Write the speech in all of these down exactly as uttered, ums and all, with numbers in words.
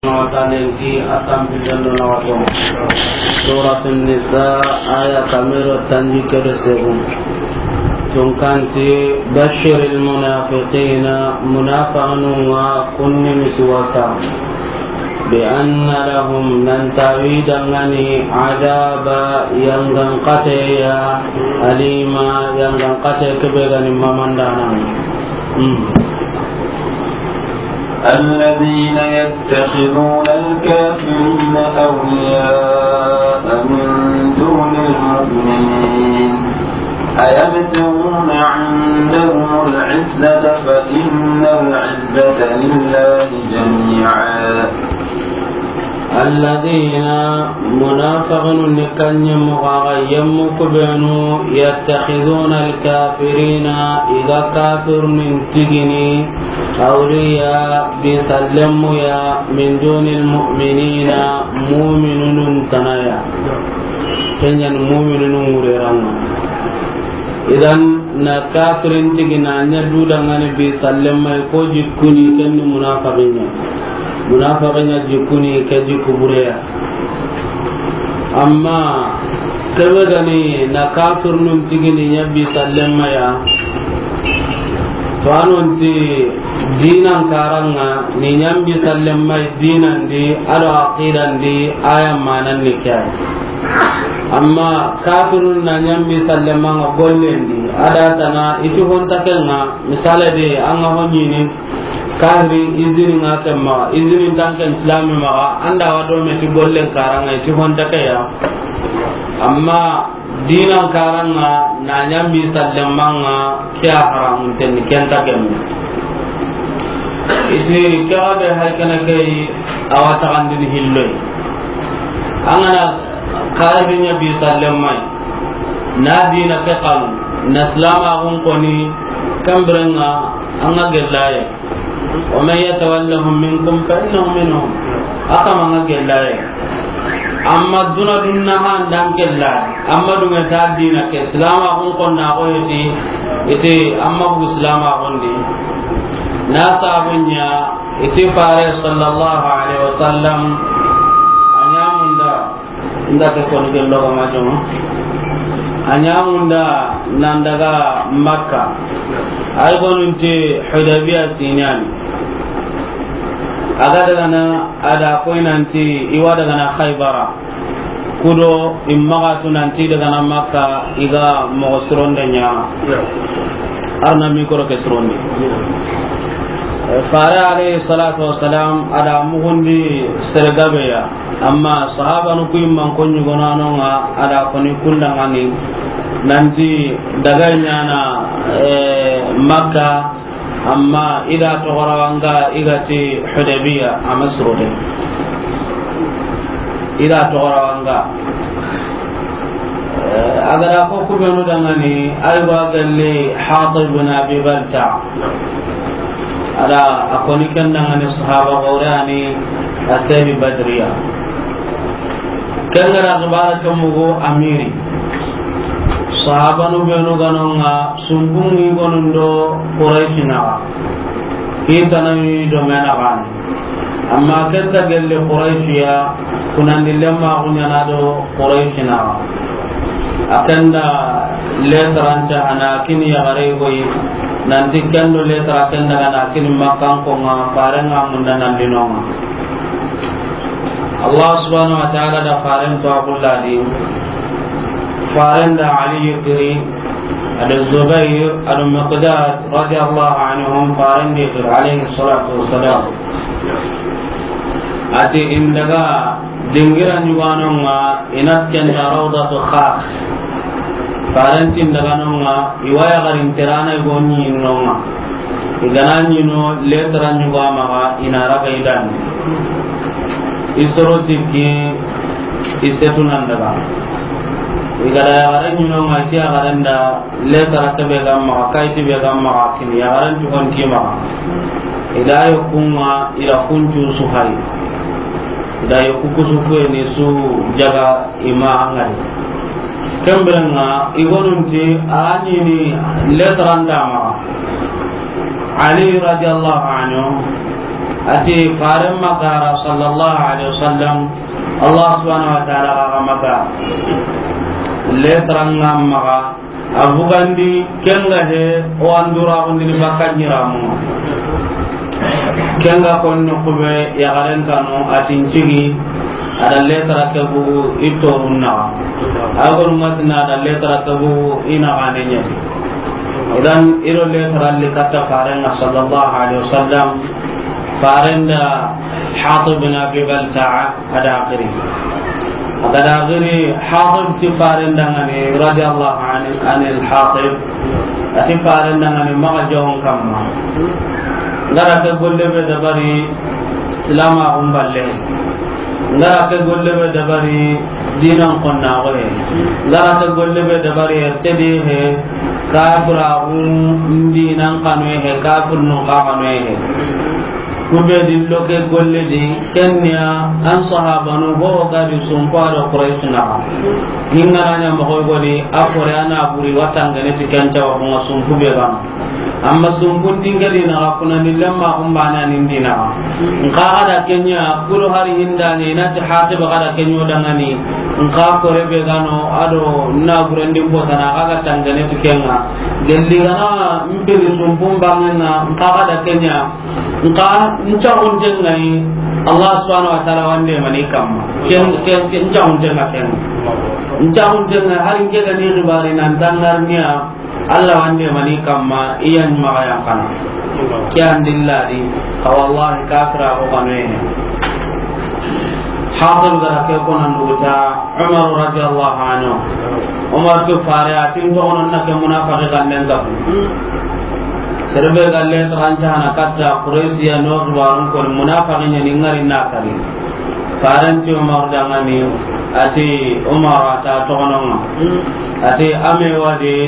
Wa taala ti a tanpille do na wato. Suratun Nisa, aya kame do tanjikke do segu. Tunkanti, bashiril munafiqina, munafiqinun ŋa kunni misiwasa. Bi anna lahum, nan ti a wa i danŋa ni, adaba, yangan kate ya, alima, yangan kate ke be ga ni mamandana. Hmm. الذين يتخذون الكافرين أولياء من دون المؤمنين أيبتغون عندهم العزة فإن العزة لله جميعا. الذين, munafiqinun ni kanɲe moxo ga yemmu kubenu, yattakhiduna alkafirina, i ga kafirunun tigini, awliya, bi sallenmu ya, min dunil mu'minina, mu'minunun tana ya. Ken ɲa ni mu'minunun ŋureranŋa. Idan, na kafirin tigi na ɲa du danŋa ni bi sallenma yi ko jikkuni, ken ni munafiqin ɲa. Munafiqin ɲa jikkuni, ke jikku bureya. Amma ke be ga ni na kafirunun tigini ɲa bi sallenma ya, to a non ti dinan karanŋa ni ɲa bi sallenma yi dinan di, a do aqidan di, a ya manan ni ke ya. Amma kafirun na ɲa bi sallenma ŋa gollen di, a da tana i ti honta ken ŋa, misale de, an ga ho ɲini, kafiri izini ŋa ken maxa, izini nta ken silami maxa, an da wa do me ti gollen karanŋa, i ti honta ke ya. Amma dinan karanŋa, na ɲa bi sallenma ŋa, ke ya haramun tenni, ken nta ken me. I ti ke ga be hay kana ke yi, a wa taxandini hilloy. An ga na kafirin ɲa bi sallenma yi, na dina ke xanu, na silamaxun koni, ken biren ŋa, an ga gellaye. ومن يتولهم منكم فإنه منهم. A kama ŋa gellaye. Amma duna dunna han dan kella. Amma dunŋa ta dina ke, silamaxun konna ko yeti, ite amma bu silamaxun di. Na sabunya, ite fare sallallahu alaihi wasallam, a ɲa munda. Nda ke koni gello ga ma joma. A ɲa munda nan daga Makka. Ay gonun ti Hudaybiya sinani. A ga daga na, a da koy nan ti i wa daga na Khaybara. Kudo i maxa tu nan ti daga na Makka i ga moxo sironde ɲa. Arna mikro ke sirondi. Fare alayhi salatu wassalam, a da muxundi sere gabe ya. Amma sahabanu ku yimman ko ɲugonanonŋa, a da koni kundanŋani nanti daga ɲana, eh, Makka, amma i da toxorawanga i ga ti Hudaybiya, a ma suro de. I da toxorawanga. Eh, a ga da ko kubenu danŋani, ay ba galle Hatib bin Abi Balta. A da a koni ken danŋani sahaba gore ani a sebi Badriya. Ken ga da xibara ke mugu amiri. Sahabanu benu ganonŋa, sumbungi gonundo Qurayshi naxa. Kitanawi do mena gani. Amma ken ta gelli Qurayshi ya, kunandi lemma kuɲana do Qurayshi naxa. A ken da letaranta a na kini yaxare goyi, nanti ken do letara ken daga na kini Makkankonŋa, farenŋa munda nan dinonŋa. Allah subhanahu wa ta'ala da faren to a kulladi. Faren da Ali yitiri, a da Zubair, a da Miqdad radiyallahu anhum, faren da yitiri alayhi salatu wassalam. A ti in daga dingira ɲuganonŋa, i na ken da Rawdatu Khakh. Faren ti in daga nonŋa, i wa yaxarin tirana i go ɲinnonŋa. I ga na ɲino letara ɲuga maxa, i na raga i dandi. I soro sikki, i setu nan daga. I ga da yaxaren ɲinonŋa, i ti yaxaren da letara ke be ga maxa, kayiti be ga maxa, kini yaxaren cugon ti maxa. I da yokunŋa, i da kuncu su hari. I da yoku kusu kuye ni su jaga i ma angari. Ken birenŋa, i gonunti a ɲini letaranta maxa. Ali radiyallahu anhu, A ti Faaren ma gara, sallallahu alaihi wasallam, Allah subhanahu wa ta'ala ga ma ga. Lettre ŋa ma ga, a bugandi, ken ga he, o an dura gundini bakka ɲiramu. Ken ga konno kube, yaxaren kanu, a ti n cigi, a da lettre ke bugu, i torun naxa. A gonu ŋa ti na da lettre ke bugu, i naxaane ɲa. Idan, i do lettre li katta Faaren ŋa, sallallahu alaihi wasallam, Faaren da Hatib bin Abi Balta'a a da xiri. A ga da xiri, Hatib ti Faaren da ŋa ni, radiyallahu anhu, anil Hatib. A ti Faaren da ŋa ni, maxa jawon kamma. N ga ra ke golle be dabari, Islama xun balle. N ga ra ke golle be dabari, diinan xonna xo he. N ga ra ke golle be dabari, tedi he, kafira xun diinan xanu he, kafir nun xa xanu he. Kube dillo ke golle di, ken ya an sahabanu ho ga di sunko a do Quraysh naxa. Hinga na ɲa moxo godi, a kore a na buri watangane ti ken cawa xunga sunku be gana. Amma sunkun dingadi na ga kuna ni lemma kun bana ni dina. Nka ga da ken ɲa, kulu hari hinda ni na ti Hatib ga da ken ɲo dangani. Nka kore be gano, a do na burendi ko tana ga ga tangane ti kenga. Gelli gana mpiri sunkun bangenga, nka ga da ken ɲa. Nka ncaxunten ŋa yi, Allah subhanahu wa ta'ala wande mani kamma. Ken, ken, ken ncaxunten ŋa ken. Ncaxunten ŋa hari nke ga ni xibari nan tangarniya, Allah wande mani kamma, iyan maxa yan kana. Ke andilla di, ka wallahi kafira ko kanu ye. Hatib ga ra ke ko nan duguta Umar radiyallahu anhu. Umar ke fare a tin to onon na ke munafaqi kan den ga. Serebe ga lettre an ta hana katta Quraysiya no xibarun ko munafaqi ɲa ni ngari na kali. Faaren ti Umar dangani, a ti Umar a ta toxononga. A ti ame wadi,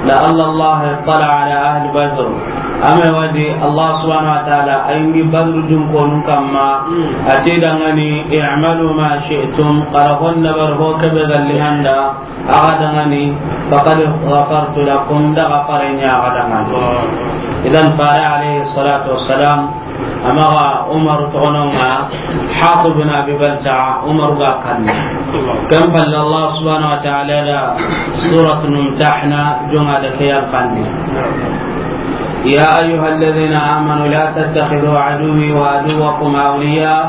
لعل الله اطلع على أهل بدر. Ame wadi, Allah subhanahu wa ta'ala a yingi Badru dun konun kamma. A ti dangani, اعملوا ما شئتم. Xa ra hon dabar ho kebe galli handa. Axa dangani, فقد غفرت لكم, da gafare ɲa axa dangani. Idan Fare alayhi salatu wassalam, a maxa Umar toxononga, Hatib bin Abi Balta'a, Umar ga kanni. Ken palle Allah subhanahu wa ta'ala da Surat Mumtahana jonga da ke yan kanni. يا أيها الذين آمنوا لا تتخذوا عدوي وعدوكم أولياء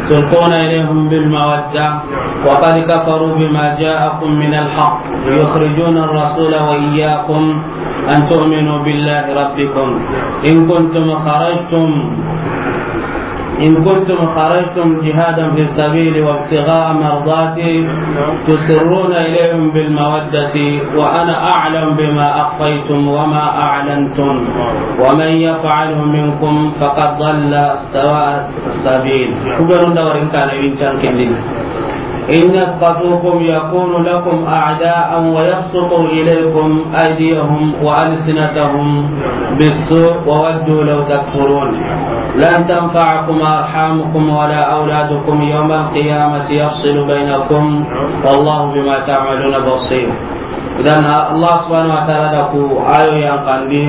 تلقون إليهم بالمودة وقد كفروا بما جاءكم من الحق يخرجون الرسول وإياكم أن تؤمنوا بالله ربكم إن كنتم خرجتم إن كنتم خرجتم جهادا في سبيلي وابتغاء مرضاتي تسرون إليهم بالمودة وأنا أعلم بما أخفيتم وما أعلنتم ومن يفعله منكم فقد ضل سواء السبيل. Ku be nu da wari n kaane wi n can kindini. إن يثقفوكم يكونوا لكم أعداء ويبسطوا إليكم أيديهم وألسنتهم بالسوء وودوا لو تكفرون. لن تنفعكم أرحامكم ولا أولادكم يوم القيامة يفصل بينكم والله بما تعملون بصير. Idan Allah subhanahu wa ta'ala da ku ayo yan kandi.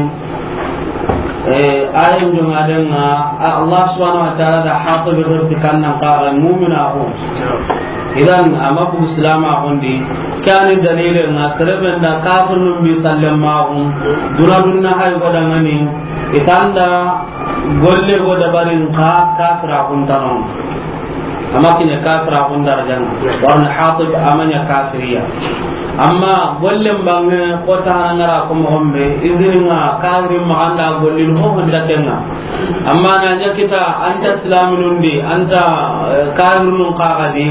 Eh, ayan jonga denga, a-, Allah subhanahu wa ta'ala da Hatib berti kannan kaga mu'mina ko. Idan, ama bu Islam a ko ndi, kani dalile nga sereben da kafirun bi sallama ko, duna dunna hay ko dangani, itanda golle go dabarin ka kafira kun tanon. Ama kiɲa kafira kun darajana. Warna Hatib ama ɲa kafiriya. Amma golle mbange ko ta ngara ko mo gombe, izini nga kafiri ma anda gollin ho honda kenga. Amma na ɲa kita anta islaminun di, anta, eh, kafirun kagadi.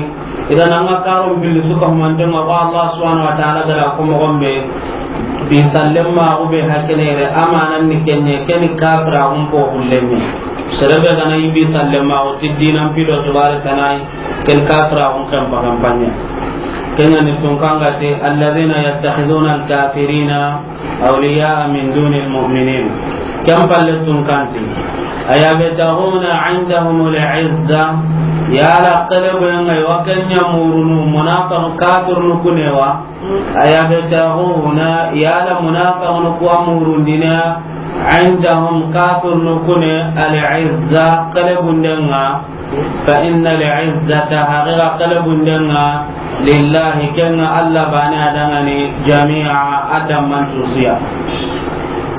Idan anga karon billi suka humantenga ko Allah subhanahu wa ta'ala gara ko mo gombe. Bi sallem ma ko be hakene re amanan ni kenye keni kafira um ko hullemi. Serebe gana ibi sallem ma ko tiddinan pido tubare tanai. Ken kafira kun kan pagan panya. Ken ni tun kanga te, الذين يتخذون الكافرين أولياء من دون المؤمنين. Ken palle tun kanti. أيبتغون عندهم العزة. Yala kele boyanga wa kenya murunu munafiqun kafirun kunewa. أيبتغون, yala munafiqun kuwa murundina عندهم, kafirinu kune, العزة, xelebunden ŋa, فإن العزة, haqiqa xelebunden ŋa, لله, ken ŋa Alla baane ya danŋa ni, جميعا, a damman tusu ya.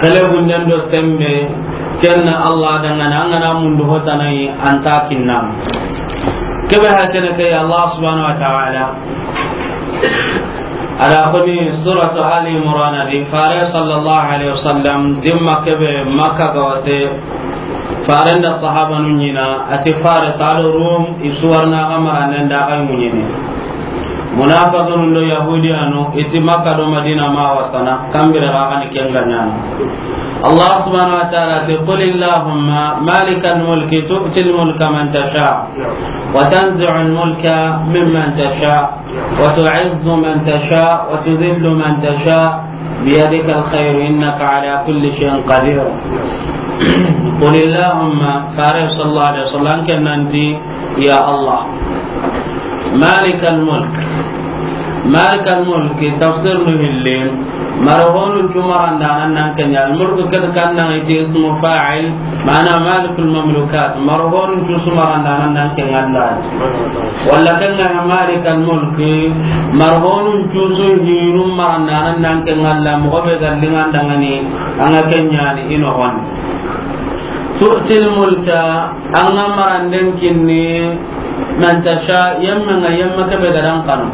Xelebunden do sembe, ken na Alla danŋa ni, an ga na mundu hotanayi, an nta kinna. Kebe hakene ke, Alla subhanahu wa ta'ala a da a koni suratu Ali Imran di, Fare sallallahu alaihi wasallam, dimma kebe Makka ga wate, Faren da sahabanu ɲi na, a ti Faris do Rum, i su wa ri na xa maranden da xa ɲiiɲeni. Munafiqun do Yahudiyanu, i ti Makka do Madina ma wasana, kambire xa ni ken ga ɲaana. Alla subhanahu wa ta'ala ti, قل اللهم مالك الملك تؤتي الملك من تشاء وتنزع الملك ممن تشاء وتعز من تشاء وتذل من تشاء بيدك الخير إنك على كل شيء قدير. قل اللهم, Fare sallallahu alaihi wasallam, ken na ti, ya Alla, مالك الملك. مالك الملك, tafsirinu hilli, marahonun cu marandanan nan ken ɲa. Al-mulku, ke di, kan na i ti ismu fa'il, maana malikul mamlukat, marahonun cu su marandanan nan ken Alla. Walla ken ŋa ya مالك الملك, marahonun cu su hinu marandanan nan ken Alla, moxo be ga liŋa an danŋa ni, an ga ken ɲaani i noxon. تؤتي الملك, an ga maranden kinni, من تشاء, yemme ŋa yemme kebe ga da an kanu.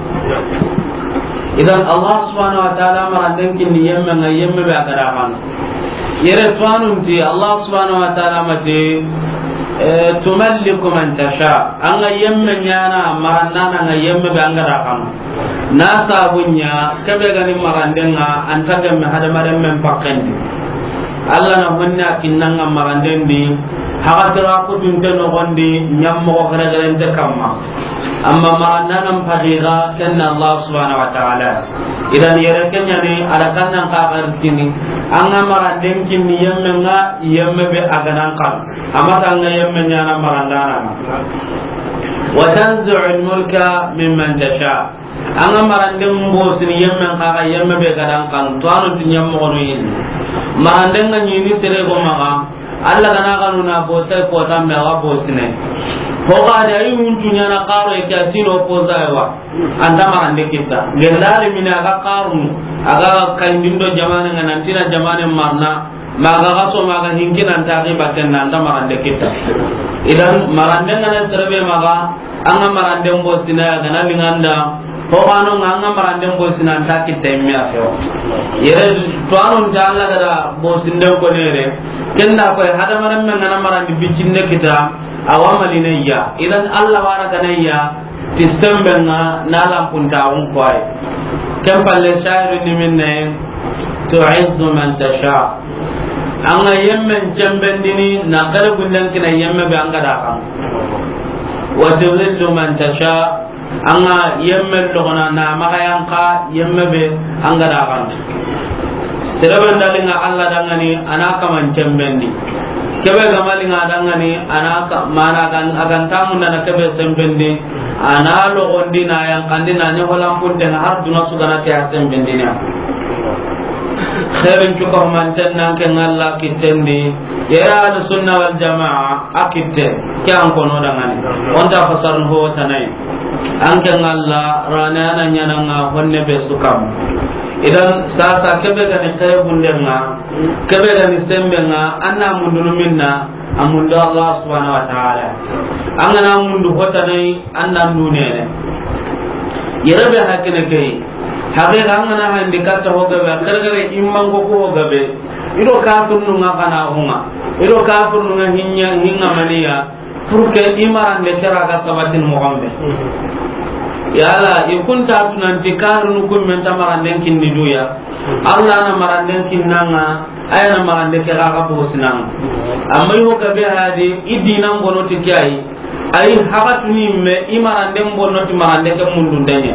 Idan, Alla subhanahu wa ta'ala maranden kinni yemme ŋa yemme be a ga da a kanu. Yere tuwanun ti, Alla subhanahu wa ta'ala ma ti, eh, تملك من تشاء, an ga yemme ɲaana marandana ŋa yemme be an ga da a kanu. Na sabu ɲa, kebe ga ni maranden ŋa, an nta gemme hadamarenmen pakken di. Alla na honne a kinna an ŋa maranden di, haxatira kutunte noxon di, ɲammoxo xerexerente kamma. Amma marandanan paxi ga, ken na Alla subhanahu wa ta'ala. Idan yere ken ɲa ni, a da kan nan xa xaritini, an ga maranden kinni yemme ŋa, yemme be a ga da an kanu. Amma an ga yemme ɲaana marandana ŋa. وتنزع الملك ممن تشاء. An ga maranden bosini yemme ŋa, xa ga yemme be ga da an kanu, tuwanun ti ɲammoxonu yi ni. Maranden ga ɲi ni sere go maxa, Alla ga na kanu na bosay kota me a wa bosine. Ho ga da i wuncu ɲaana xaro ke a sino posa wa. An nta marande kitta. Gellari mini a ga xarunu, a ga kayindindo jamaane ŋa, nan ti na jamaane marana, ma ga ga so ma ga hinki nan ta ki batten na, an nta marande kitta. Idan marande ŋa na sere be maxa, an ga maranden bosina ya ga na liŋa an da, ho xano ŋa an ga maranden bosina an nta kitta i me a fewo. Yere tuwanun ta Alla ga da bosinden ko nere, ken da koy hadamarenmen ga na marandi biccinde kita, a wa malinayya. Idan Alla wa ra ga na ya, ti sembe ŋa na lanpuntaxun koy. Ken palle, shahidu ni minne, تعز من تشاء. An ga yemmen cembendini, na xerebunden kini yemme be an ga da a kanu. وتذل من تشاء. An ga yemme logona na maxa yanqa yemme be an ga da a kanu. Sere be n da liŋa Alla danŋa ni, a na kaman cembendi. Kebe ga ma liŋa danŋa ni, a na ka-, mana gan-, a ga nta munda na kebe sembendi, a na logondi na yanqandi na ɲa holan punten ŋa har duna su ga na ke a sembendini ya. Xeerin cu ka humanten nan ke ŋa Alla kitten di, yere Ahlu Sunna wal Jamaa a kitte, ke an kono danŋa ni. O nta fasarun ho tana yi. An ke ŋa Alla rane a na ɲaana ŋa honne be su kam. Idan sasa kebe ga ni xerebunden ŋa, kebe ga ni semben ŋa, an na mundunu minna, a mundu Alla subhanahu wa ta'ala. An ga na mundu hotanayi, an na ndu nene. Yere be hakene ke yi. Haqiqa an ga na handi katta ho gabe, xerexere immango ko ho gabe. I do kafirnu ŋa xa na xo ŋa. I do kafirnu ŋa hinya, hinga maniya. Pour que i marande ke ra ga sabatin moxo be. Yala i kun ta tunanti kafirnu kun men ta maranden kinni duya. Alla na maranden kinna ŋa, a ya na marande ke ga ga bosina ŋa. Amma i ho gabe hadi, i dinan bono ti ke yi. Ay haxatuni me i maranden bono ti marande ke mundunde ɲa.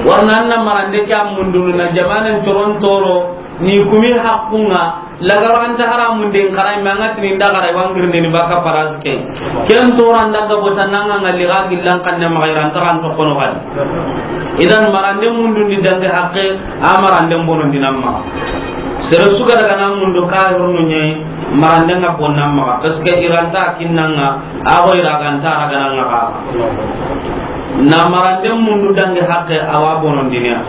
Warna an na marande ke a mundunu na jamaanen toron toro ni kumi haqqun ŋa. Lagaro an ta haramun den xara me an ga tini n da xara wa ngirinde ni baka paras ke. Ken toran da ga bota nan ŋa ŋa li ga gillan kanne ma xayran taran to kono xadi. Idan marande mundundi dange haqqe, a marande bono dinan ma. Sere su ga daga na mundu kahirunu ɲa yi, maranden ŋa bonna maxa, parce que i ra nta kinnanga, a go i ra ga nta ra ga na ŋa xa. Na maranden mundu dangi haqqe, a wa bonondini ya.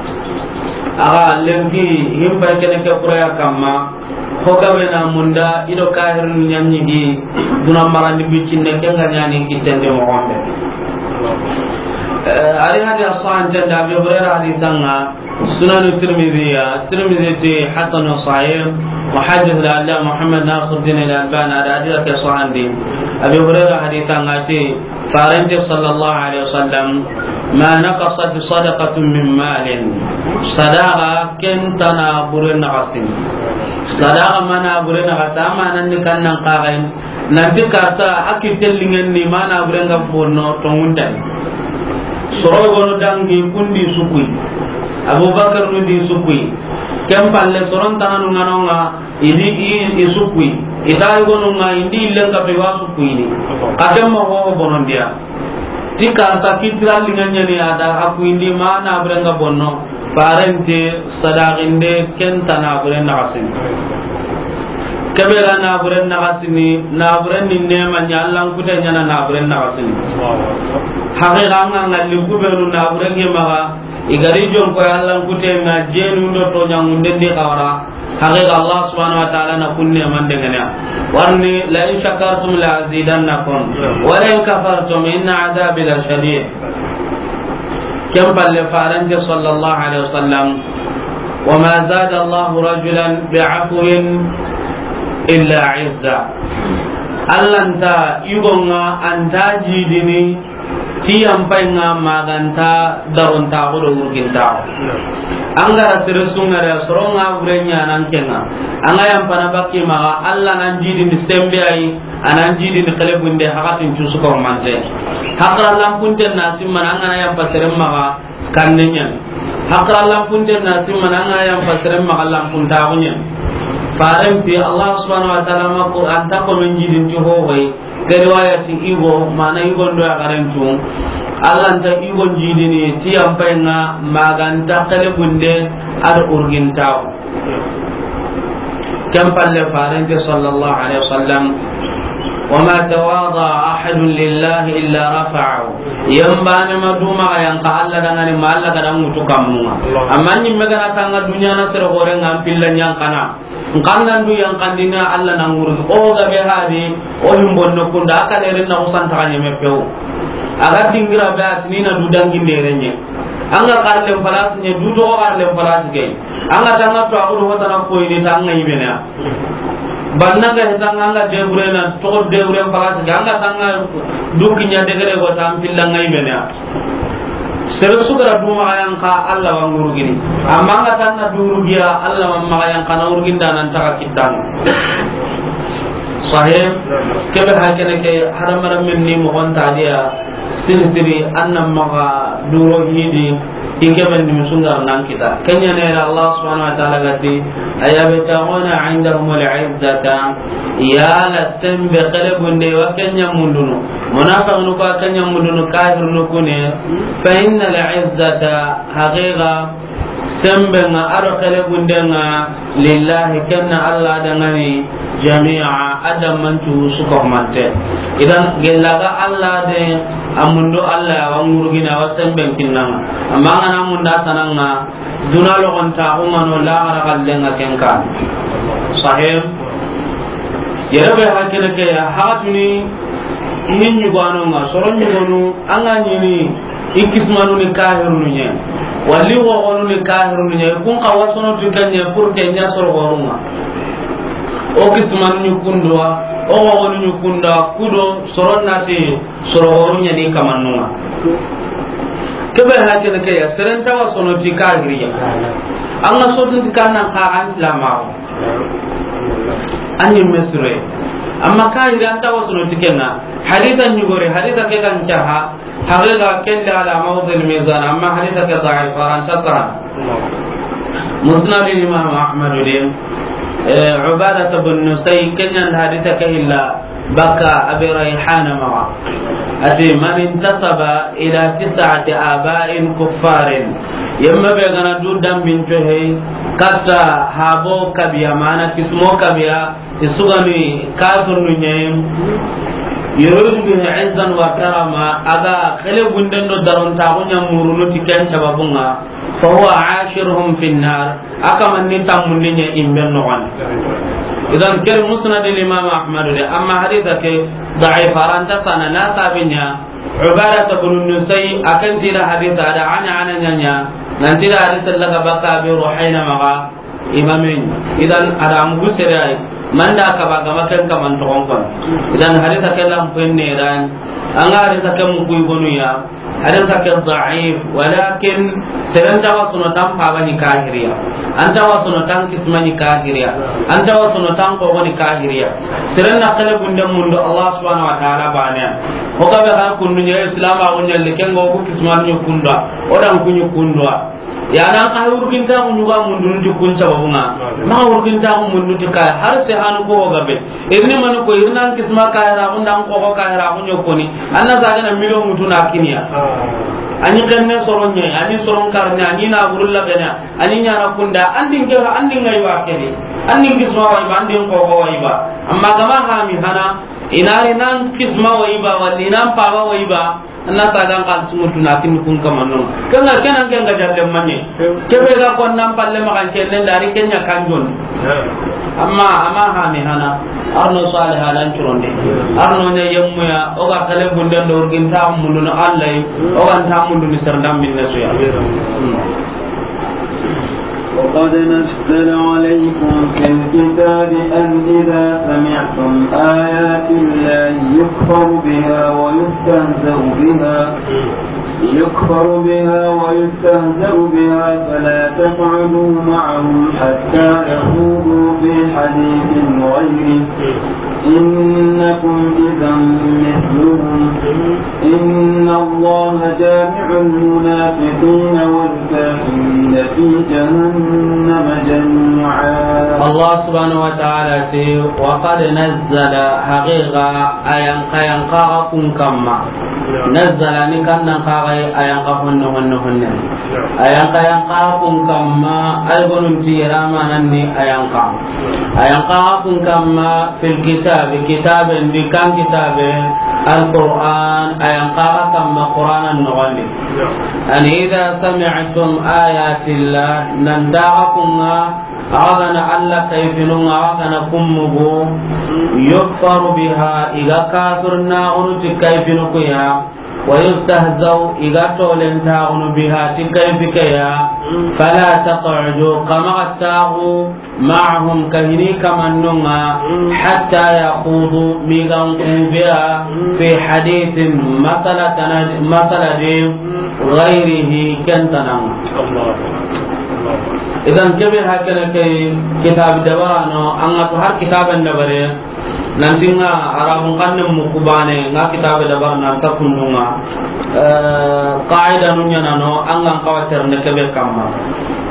Axa lenki, himba kene ke kuraya kamma, ho gabe na munda, i do kahirunu ɲa ɲi gi, duna marandi bicinne, ken ga ɲaani kittende moxo be. Eh, ari hadi a sahante nda, Abi Hurayra hadisa ŋa, Sunan Tirmidhi ya, Tirmidhi ti hasan sahih, muhaddith al-allama Muhammad Nasiruddin al-Albani a da hadisa ke sahandi. Abi Hurayra hadisa ŋa ti, Farante sallallahu alaihi wasallam, ma naqasat sadaqatun min malin. Sadaqa ken nta naabure naxasini. Sadaqa ma naabure naxasa, a ma nan ni kannan kaxayin. Nanti karta a kitte lingen ni ma naabure nga bonno tonguntani. Soro gono dangi kundi sukuyi. Abubakar nu di sukuyi. Ken palle soron tananu ŋa no ŋa, i di i, i sukuyi. I ta i gonu ŋa, i ndi illen ka be wa sukuyi ni. Ka ken ma ho bonondiya. Ti karta kitira linga ɲani a da a kuyindi ma naabure nga bonno. Farante sadaqinde ken nta naabure naxasini. Kebe ga naabure naxasini, naabure ni nema ɲa, Allan kute ɲa na naabure naxasini. Haqiqa ŋa ŋalli kubenu naabure nge maxa, i gari jon ko Allan kute ŋa jenu ndo to ɲangunde ndi xawara. Haqiqa Allah subhanahu wa ta'ala na kunne man dengana. Warni, la in shakartum la azidannakum, wa la in kafartum inna adhabi la shadid. Ken palle Farante sallallahu alaihi wasallam, wa ma zada Allahu rajulan bi afwin illa izza. Alla nta yugo ŋa a nta jidini ti yanpayi ŋa ma ga nta darontaxu do wurgintaxu. An ga ra sere su ŋa da, soro ŋa bure ɲaana n ke ŋa. An ga yanpana bakki maxa, Alla nan jidini sembe ayi, a nan jidini xelebunde, haxatin cusu ko mante. Haqara lanpunten na simmana, an ga na yanpa seren maxa, kanne ɲani. Haqara lanpunten na simmana, an ga na yanpa seren maxa, lanpuntaxu ɲani. Faren ti Allah subhanahu wa ta'ala ma ko, a nta ko men jidin ti hohoyi. Ke riwaya ti yugo, mana yugo ndo ya garen tu. Alla nta yugo jidini ti yanpayi ŋa ma ga nta xelebunde a do wurgintaxu. Ken palle Farante sallallahu alaihi wasallam, wa ma tawada ahadun lillahi illa rafa'ahu. Yanbane ma duma ga yanka Alla dangani ma Alla ga da ŋutu kammun ŋa. Amma ɲimme ga na tanga duniya na sere gore ŋa n pilla ɲankana. N kannan du yankandini Alla na ŋurugi. O ga be hadi, o himbonno kunda, a ka lerin na kusan taga ɲeme pew. A ga dingira be a tini na du dangi nderenye. An ga karlen palasi nye, du togo karlen palasi ke. An ga tanga to a kudu hotana koyini tanga ibene. Banna ga hetanga an ga deburena, togo deburen palasi ke. An ga tanga du kinya degere go tan pillanga ibene. Sere su ga ra du maxa yanka, Alla wa ŋurugini. Amma an ga tanna du rugiya, Alla ma maxa yanka na wurginda nan taga kittan. Sahih. Kebe hakene ke hadamaren men ni moxon tadiya, siri siri, an na maxa duro hidi, i kebe ni musungar nan kita. Kenya ne Allah subhanahu wa ta'ala ga ti, ayabtaghuna indahumul izzata, yala sembe xelebunde wa kenya mundunu. Munafiqunu ko a kenya mundunu, kafirunu kune. Fa innal izzata, haqiqa, sembe ŋa a do xelebunde ŋa, lillahi, ken na Alla dangani, jami'a, a dammancu su ko mante. Idan, gella ga Alla de, a mundu Alla ya wa ŋurugina wa semben kinnanga. Amma an ga na munda tananga, duna logontaxu ŋa no, laxara xallenga ken ka. Sahih. Yere be hakene ke ya, haxatuni, i ɲugano ŋa, soro ɲugonu, an ga ɲini, i kismanu ni kahirunu ɲe, wali woxonu ni kahirunu ɲe, kun xa wasono tu kanye pour que ɲa soro xorunga. O kismanu ni kundwa, o woxonu ni kunda, kudo, soro nati, soro horu ɲani kamannunga. Kebe hakene ke ya, seren tawa sono ti kahiriya. An ga sotu ti kannan ka an silamaxu. An ni mesure. Amma kahiri an tawa sono ti kenga. Hadisa ɲugore, hadisa ke kan caha. Haqiqa kelle ala mawdil mizan. Amma hadisa ke da'if, an ta saha. Musnad Imam Ahmad din. Eh, Ubadah bin Nusay, kenyan hadisa ke illa. Baka Abi Rayhana maxa. A ti, "Man intasaba ila tis'ati aba'in kuffarin." Yemme be ga na du dambinto he, katta habo kabiya, mana kismo kabiya, i su ga ni kafirnu ɲa yi. Yuridu bihi izzan wa karama, a ga xele bunden do darontaxu ɲa murunu ti ken sababun ŋa. Fa huwa ashiruhum fin nar, a kaman ni tammundi ɲa i be noxon di. Idan, ke ri musnad al imam Ahmad de, amma hadisa ke da'if, a ra nta sana na sabi ɲa. Ubadata bin Nusay, a kan ti da hadisa da, ana, ana ɲa ɲa, nan ti da hadisa la ga baka Abi Ruhayna maxa, imame ɲi. Idan, a da mugu sere ay, manda kaba gama ken kaman toxon kon. Idan, hadisa ke lan penne ran, an ga hadisa ke mugu i gonu ya, hadisa ke da'if, walakin seren ta wa sono tan paba ni kahiriya, an ta wa sono tan kisma ni kahiriya, an ta wa sono tan kogo ni kahiriya. Seren na xele bunden mundu Allah subhanahu wa ta'ala bane ya. O ga be ga kundu ɲa Islam, a o ɲa le ken go ku kisma ni kunda, o dan ku ni kunda. Ya nan ka wurgintaxu ɲuga mundunu ti kun sababun ŋa. Ma wurgintaxu mundunu ti kay, har se hanu ko gabe. Irni manu ko, irnan kisma kayra, undan ko ko kayra, unyo koni. Anna sagana miliyon mutu na kiniya. Ani kenne soron ɲa, ani soron karne, ani na burulla bena, ani ɲana kunda, andin ke, andin ngai wa kene. Andin kisma wa iba, andin ko ko wa iba. Amma gama ha mi hana, inari nan kisma wa iba, wala inan paba wa iba. Anna sagan xalisi mutu na kin kun kamanno. Ken ŋa, ken an ken ga jalle manye. Ke be ga ko nan palle ma kan kenne dari ken ɲa kanjon. Amma, amma ha mi hana. Arno Salih halan curonde. Arno ne yemmu ya, o ga xele bunden do wurgintaxu mundunu Allah yi, o ga nta mundunu serdam binne suya. وقد نزل عليكم في الكتاب أن إذا سمعتم آيات الله يكفر بها ويستهزأ بها، يكفر بها ويستهزأ بها فلا تقعدوا معهم حتى يخوضوا في حديث غيره إنكم إذا مثلهم. إن الله جامع المنافقين والكافرين في جهنم جميعا. Allah subhanahu wa ta'ala ti, وقد نزل, haqiqa, a yanqa yanqa kun kamma. Nazzala ni kannan kaga a yanqa honne, honne, honne. A yanqa yanqa kun kamma, ay gonun ti yera manan ni a yanqa. A yanqa kun kamma fil kitabi, kitaben di, kan kitabe, Alquran, a yanqa kamma Quranan noxon di. An idha sami'tum ayatillah, nan daga kunga, a ga na Allah kayfinun ŋa, a ga na kun mugu, yukfaru biha, i ga kafirnaxunu ti kayfinu ku ya, wa yustahzau, i ga tolentaxunu biha ti kayfi ke ya, fala taq'udu, xa maxa taxu, ma'ahum, kahini kamannun ŋa, hatta yakhudu, mi ga n kubiya, fi hadithin, masala tana, masala di, ghayrihi, ken tanan ŋa. Idan kebe hakana ke kitabi dabarano, an ga to har kitaben dabare, nanti ŋa Arabun xannen muku bane, ŋa kitabe dabar nan ta kundun ŋa. Eh, qaida nu ɲana no, an ga n xawa terne kebe kamma.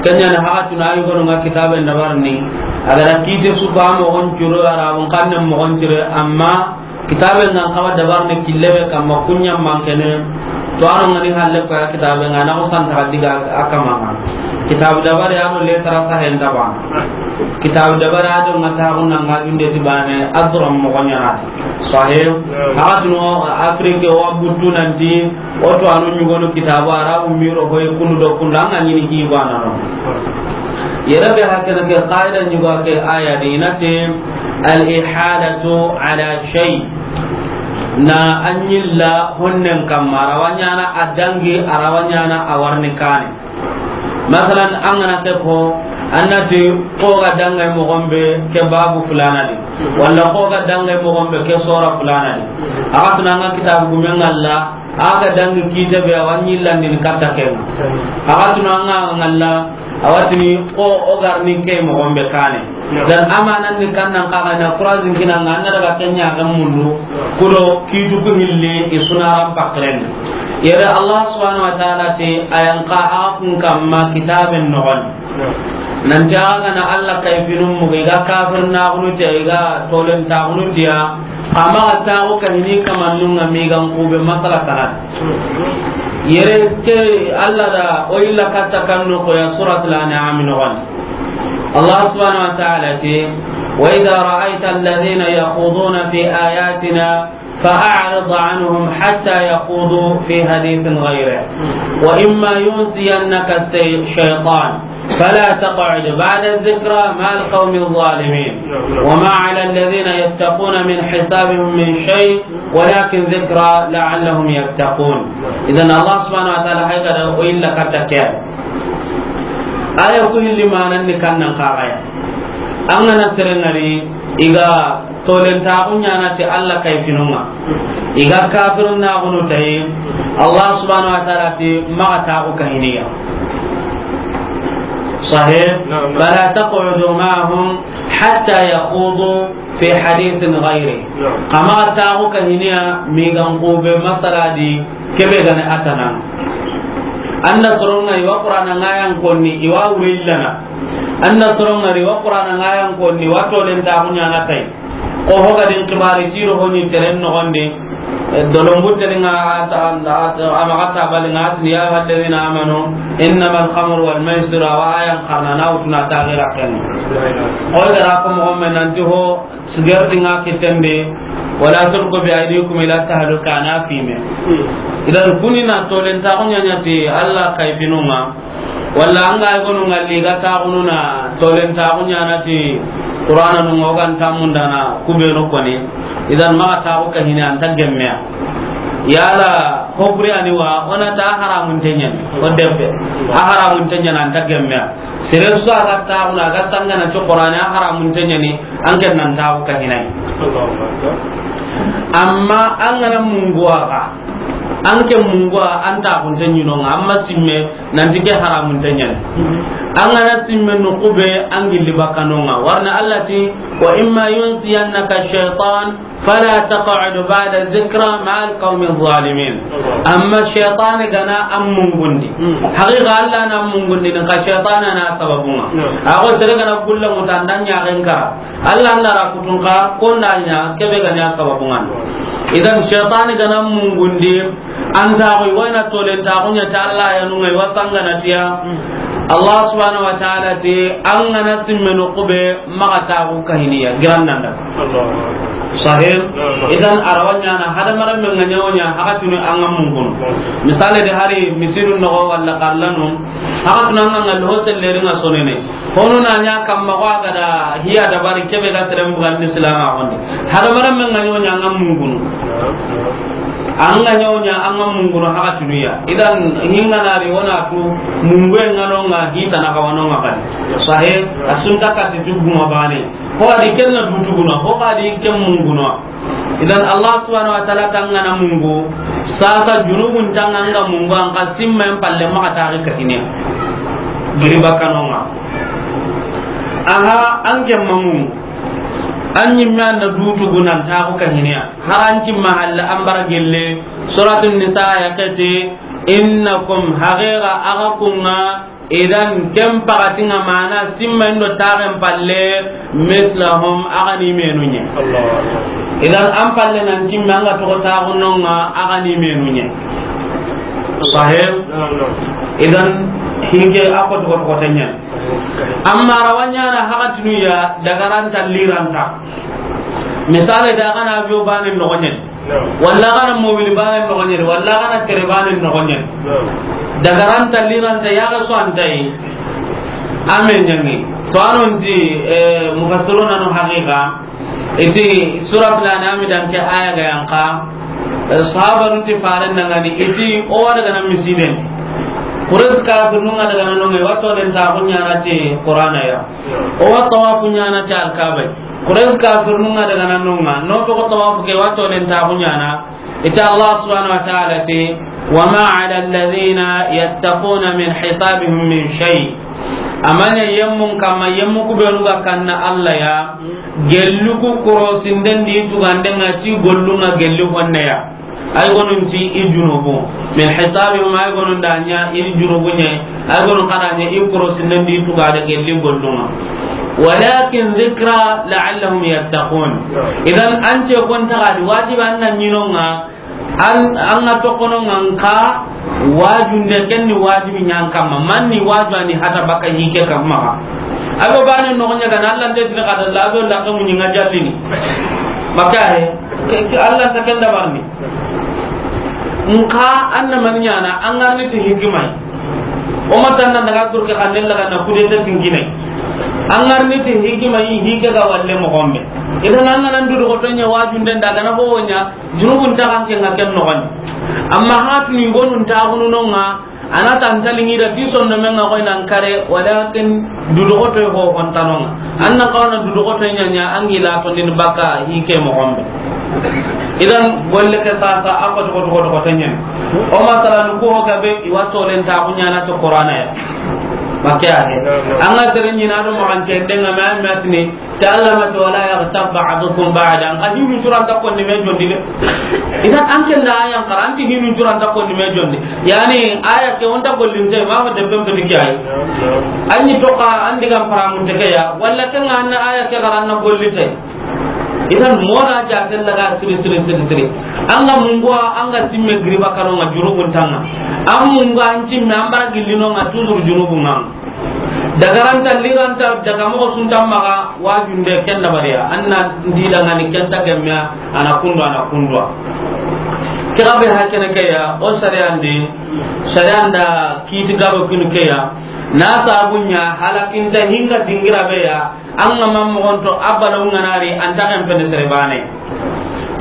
Ken ɲa ni haxatunu ay gonu ŋa kitabe dabar ni, a ga da kite su ba moxon curo, Arabun xannen moxon curo, amma kitabe nan xawa dabar ni kille be kamma, kun ɲa mankene. To ano ŋa ni halle ko ya kitabe ŋa na ko santa diga a kamma ŋa. Kitabe dabar ya no le tara sahen tabana. Kitabe dabar ya do ŋa ta ko na ŋa dunde ti bane, adram moxon ɲana. Sahih. Haxatunu Afrique wa butu nanti, o to anu ɲugonu kitabu Arabu miro hoy kunu do kunu an ga ɲini ki bana no. Yere be hakana ke qaida ɲuga ke aya di na ti, al ihadatu ala shay. Na an yilla honnen kamma, a ra wa ɲana a dangi, a ra wa ɲana a warni kane. Masalan, an ga na ke ko, an na ti, ko ga dangay moxon be ke babu fulana di, wala ko ga dangay moxon be ke sora fulana di. Haxatunu an ga kitabu gumen ŋalla, a ga dangi kite be, a wa ɲillandini katta ken ŋa. Haxatunu an ga ŋalla, a wa tini ko o garni ke moxon be kane. Dan amanan ni kannan kaga na phrase kina ŋa, an na daga ken ɲa ga mundu, kudo kitu ku hilli i sunaran pakren. Yere Allah subhanahu wa ta'ala ti, a yanqa a kun kamma kitaben noxon. Nanti a ga na Allah kayfinun mugu, i ga kafirnaxunu ti, i ga tolentaxunu ti ya, Xa maxa taaxu kahini kamannun ŋa migan kube masala tana. Yere ke Alla da o yilla katta kan noxo ya Suratul An'am noxon. Allah subhanahu wa ta'ala ti, "Wa idha ra'aita alladhina yakhuduna fi ayatina fa'a'rid anhum hatta yakhudu fi hadithin ghayrihi. Wa imma yunsiyannaka ash-shaytan." فلا تقعد بعد الذكرى مع القوم الظالمين. وما على الذين يتقون من حسابهم من شيء ولكن ذكرى لعلهم يتقون. Idan Allah subhanahu wa ta'ala hay ga da o yilla katta ke. Aya ku hilli manan ni kannan kaxaya. An ga na sere ŋari i ga tolentaaxu ɲaana ti Alla kayfinun ŋa. I ga kafirun naaxunu tayi, Allah subhanahu wa ta'ala ti maxa taaxu kahini ya. Sahih? Naam, naam. Fala taq'udu ma'ahum hatta yakhudu fi hadithin ghayri. Naam. Xa maxa taaxu kahini ya migan kube masala di kebe ga ni a tana. An na soron ŋa i wa Qur'ana ŋa yan konni, i wa wure yillana. An na soron ŋari wa Qur'ana ŋa yan konni, wa tolentaaxu ɲaana tayi. Ko ho ga din kibari tiro ho ni teren noxon di. Dolombu teri ŋa a ta, a ta, a maxa tabali ŋa a tini, "Ya ayyuhalladhina amanu innamal khamru wal maisiru", a wa ayan xarana na wutuna ta gira ken. Ko da ra ko moxo men nanti ho sigarti ŋa kitten di, "Wala tulqu bi aydikum ila tahluka", na fime. Idan kuni na tolentaaxu ɲaana ti Alla kayfinun ŋa. Walla an ga i gonu ŋalli ga taaxunu na tolentaaxu ɲaana ti Qur'ana nun ŋa o ga nta mundana kubenu koni. Idan maxa taaxu kahini an ta gemmeya. Yala hokuri ani wa o na ta haramun teɲani. O debbe a haramun teɲani an ta gemmeya. Sere su a ga taaxunu a ga sangana ti Qur'ana a haramun teɲani. An ken nan taaxu kahini ya. Amma an ga na mungu a ga, an ke mungu a an taaxunte ɲi no ŋa, amma simme nanti ke haramunte ɲani. An ga na simme noqu be an gilli bakka no ŋa. Warna Alla ti, "Wa imma yunsiyannaka shaytan fala taq'ud ba'da dhikra ma'al qawmi zalimin." Amma shaytan ga na an mungundi. Haqiqa Alla na an mungundi, nka shaytan na sababun ŋa. A ko sere ga na gulla mutanda ɲa gen kara. Alla nda ra kutun ka, ko nda ɲa, kebe ga ɲa sababun ŋa. Idan, shaytani ga na mungundi, an ta xo, i wa na tolentaaxu ɲa ti Alla ya nu ŋa, i wa sangana ti ya. Allah subhanahu wa ta'ala ti, an ga na simme noqu be, maxa taaxu kahini ya, giran nanda. Sahih? Idan, a ra wa ɲaana, hadamarenme ŋa ɲa wo ɲa, haxatunu an ŋa mungunu. Misale de hari, misiru noxo walla xarlanu, haxatunu an ŋa ŋa lo selleri ŋa sonene. Hono na ɲa kamma xo a ga da hiya dabari kebe ga seren bugandi silama xo ndi. Hadamarenme ŋa ɲa wo ɲa an ŋa mungunu. An ŋa ɲa wo ɲa an ŋa mungunu haxatunu ya. Idan hinga na ri wo na tu mungu ŋa no ŋa hita na xawano ŋa kadi. Sahih, a su nta kati tu guma bane. Xo a di ken na dutu guna, xo a di ken mungunu. Idan Allah subhanahu wa ta'ala ti an ga na mungu, sasa junubun ti an ga mungu, an xa simmen palle maxa taaxu kahini ya. Giri bakka no ŋa. Aha, an ke ma mungu. An ɲimme an da dutu gunan taaxu kahini ya. Har an cimma halle an bara gelle. Suratul Nisa ya kati, "Innakum", haqiqa axa kun ŋa, idan ken paxati ŋa mana simma indo taaxen palle, "mislahum", axa ni menu ɲa. Allahu Akbar. Idan an palle nan cimme an ga toxo taaxu no ŋa, axa ni menu ɲa. Sahih? Naam, naam. Idan hinke a ko toxo toxo ta ɲa. Amma a ra wa ɲaana haxatunu ya dagaranta liranta. Misale da xa na avion bane noxo ɲa. Walla xa na mobili bane noxo ɲa, walla xa na tere bane noxo ɲa. Dagaranta liranta ya ga so an ta yi. Amen ɲangi. To a non ti, eh, mufassiruna no haqiqa. Iti suratul An'am dan ke aya ga yan xa. Eh, sahabanu ti faren dangani. Iti o wa daga na misiden. Quraysh kafirun ŋa daga na no ŋa, i wa tolentaaxu ɲaana ti Qur'ana ya. O wa tawafu ɲaana ti Alkaaba. Quraysh kafirun ŋa daga na no ŋa, no toxo tawafu ke wa tolentaaxu ɲaana. Ita Allah subhanahu wa ta'ala ti, "Wa ma 'ala alladhina yattaquna min hisabihim min shay." A ma ɲa yemmun kamma, yemmu ku benu ga kanna Alla ya, gellu ku korosinden di tugande ŋa ti gollu ŋa gelli honne ya. Ay gonun ti i junubu. Min hisabihim, ay gonun da ɲa i junubu ɲa. Ay gonun xa da ɲa i korosinden di tugade gelli gollu ŋa. Walakin dhikra la'allahum yattaqun. Idan, an ce kon taga di wajibi an na ɲi no ŋa, an, an ga toxo no ŋa, nxa wajunde ken ni wajibi ɲa an kamma, man ni waju a ni hata baka hi ke kamma. A be bane no ɲa ga na Alla nte dina kada la be la ko mun ŋa jallini. Maka he, ke, ke Alla ta ken dabarni. Nxa an na man ɲaana, an ga ri ni ti hikima yi. O ma tan na daga turke xanne la ga na kude ta tingine. An ga ri ni ti hikima yi, hi ke ga walle moxo be. Idan an ga na dudoxoto ɲa wajunde nda ga na ho ɲa, junubun ta kan ke ŋa ken noxon. Amma hatu ni gonun ta gunu no ŋa, a na tan tali ŋi da ti sonno me ŋa koy nan kare, walakin dudoxoto ho hon ta no ŋa. An na xawa na dudoxoto ɲa ɲa, an gi la to din baka hi ke moxo be. Idan golle ke sasa a ko to, ko to, ko to ɲen. O masalan ko ho ga be i wa to len ta ku ɲaana to Qur'ana ya. Make a he. An ga tere ɲi na do mo an ce nde ŋa ma, ma tini, ta Alla ma to, wala yaghtab ba'dukum ba'dan. Ka hinu suran ta ko ni me jondi de. Idan an ke nda ayan xara, an ti hinu suran ta ko ni me jondi. Yani aya ke on ta gollinte, ma ma de pempe ni ke ay. An ni to ka an diga paramun te ke ya. Wala ke ŋa an na aya ke xara an na gollinte. Idan mona ja tella ga siri, siri, siri, siri. An ga mungu, an ga simme giriba kano ŋa junubun ta ŋa. An mungu an simme an bara gilli no ŋa toujours junubun ŋa. Daga ranta, liranta, daga moxo sunta maxa, wajunde ken dabariya. An na ndi da ŋa ni ken ta gemme, a na kundu, a na kundu. Ke ga be ha kene ke ya, o sariyan di, sariyan da kiti garo kinu ke ya. Na sabu ɲa halakinta hinga dingira be ya. An ga ma moxon to a balaw ŋa na ri, an ta ken pene sere bane.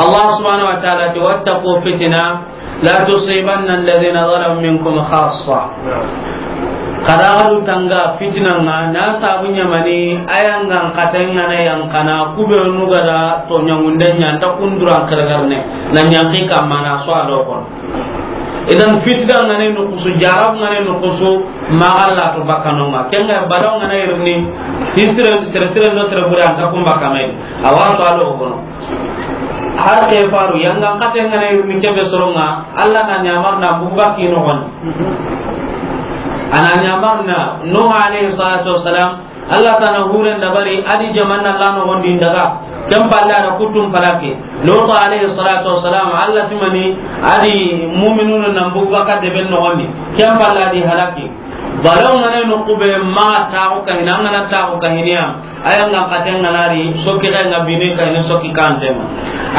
Allah subhanahu wa ta'ala ti, "Wattaqu fitna la tusibanna alladhina zalamu minkum khassa." Kada gadu tanga fitina ŋa, na sabu ɲa mani, ayan ga n kate ŋa na yan kana, ku be nu ga da to ɲangunde ɲa, an ta kunduran karagarne, na ɲanki kamma na so a do kon. Idan fitina ŋa ne nukusu, jarab ŋa ne nukusu, ma Alla to bakano ŋa. Ken ŋa balaw ŋa na irni, hisre, sere, sere no sere bure an ta kun bakame. Awa to alo kono. Har ke faru, yanga kate ŋa na irni ke be soro ŋa, Alla na ɲamar na bugu baki no gon. A na ɲamar na, Nuh alayhi salatu wassalam, Alla tana huren dabari, a di jamanna la noxon di n daga. Ken palle a da kuttun palaki. Lutu alayhi salatu wassalam, Alla ti mani, a di mu'minunu nan bugu baka deben noxon di. Ken palle a di halaki. Balaw ŋa ne nuku be ma taxu kahini, an ga na taxu kahini ya. Ayan ga n kate ŋa na ri, soki ga ŋa bine kahini soki kante ma.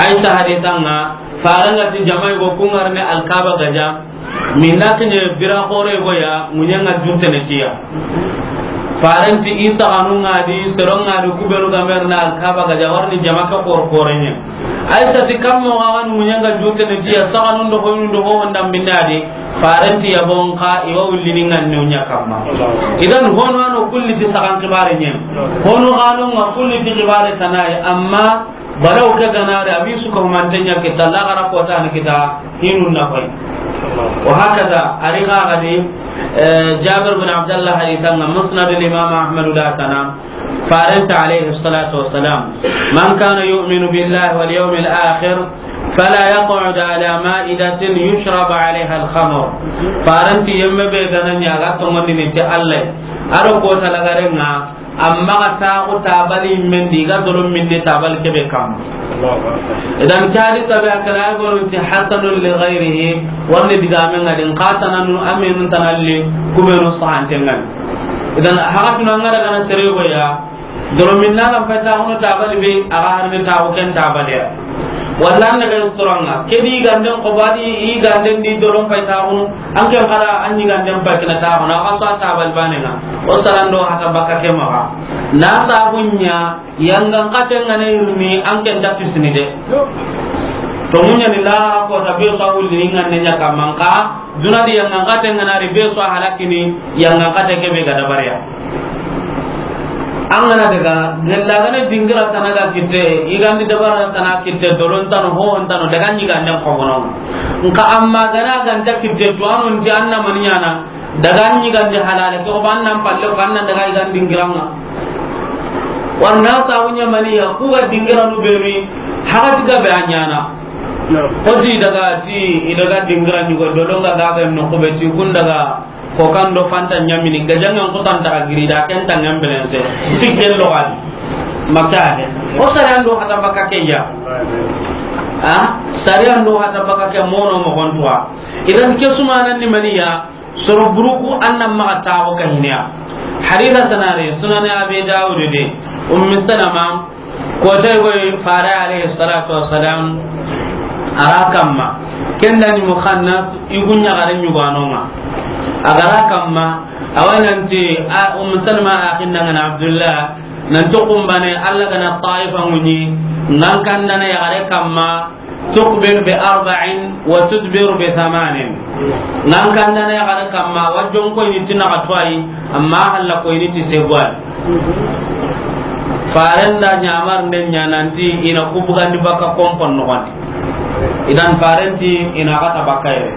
Aisha hadisa ŋa, fare ŋa ti jamai go ku ŋa ri ne Alkaba gaja. Minna kiɲe bira xore go ya, ŋuɲe ŋa juttene tiya. Farenti i saxanu ŋa di, sero ŋa di, ku be nu ga me ri na Alkaba gaja, wari ni jama ke xor xore ɲa. Aisha ti kammo ga ŋa ŋuɲe ŋa juttene tiya, saxanu ndo hoynu ndo ho honda minna di. Farenti ya bon xa, i wa wulli ni ŋa ne ɲa kamma. Idan hono ano kulli ti saxan xibare ɲa. Hono gano ŋa kulli ti xibare tana yi, amma Balaw ke ga na ri, a bi su ka humante ɲa kita, laxara kota ni kita, hinu na fay. Wa hakada, a ri xa ga di, eh, Jabir bin Abdullah hadisa ŋa, Musnad al Imam Ahmad da tana, farenta alayhi salatu wassalam, "Man kana yu'minu billahi wal yawmil akhir, fala yaq'ud ala ma'idatin yushrab alayha al khamr." Farenti yemme be ga na ɲa ga tongondi ni ti Allah. A ro kota lagare ŋa, Amma ga taxu tabali men di, ga dolo minni tabali kebe kam. Allahu Akbar. Idan cadi tabe a kana gono ti hasanun li ghayrihi, wani diga men ga din qatananu aminu tanalli, kubenu sahante ngan. Idan hagatuna ngada kana sere go ya, dolo minna lam fay taxunu tabali be, a ga harni taxu ken tabali ya. Walla an daga suranŋa. Ke di ganden ko badi, i ganden di doron fay taxunu. An ken xara an ɲi ganden fay kina taxunu. A xa so a tabali bane ŋa. O sarando hata baka ke maxa. Na sabu ɲa, yangan xaten ŋa ne yirmi, an ken ta kisini de. To muɲa ni la ko ta be so wulli ni ŋa ne ɲa kaman xa. Duna di yangan xaten ŋa na ri be so halakini, yangan xate ke be ga dabariya. An gana daga, gella gana dingira tana ga kitte, i gandi dabara tana kitte, doron tano, ho tano, daga ɲi ganden ko bono. Nka amma gana ganta kitte, to anu nti anna maniɲana, daga ɲi gandi halale, ko banna palle, ko anna daga i gandi dingiranŋa. Warna sawunya maniya, ku ga dingiranu beri, hagati ga be anyana. Ko ti daga ti, i daga dingira ɲugo, dolonga ga ga no ko be ti, kun daga, Ko kan do fanta ɲamini, gajangan ko tanta ka giri da ken tangan belense. Tikken lo gadi. Makka he. O sariyan do hata baka ke ya. Ha? Sariyan do hata baka ke mono mo gontuwa. Idan ke sumanan ni maniya, soro buruku annan maga tawo ka hiniya. Hadisa tanare, Sunan Abi Dawud de, Ummi Salama, Ko tay goy fare alayhi salatu wassalam, a ra kamma. Ken da ni Mukhannas, i gu ɲaxare ɲuganonga. A ga ra kamma, a wa nanti, a, Umm Salma a xinnangana Abdullah, nanti kumbane, Allah gana Taifa ŋuɲi, ŋan kandana yaxare kamma, تقبل بأربع وتدبر بثمان. Ŋan kandana yaxare kamma, wa jonko ini ti naxa tuwayi, amma halla ko ini ti seguwayi. Faren da ɲamar nden ɲa nanti ina ku bugandi baka kompon noxondi. Idan faren ti ina xata baka yere.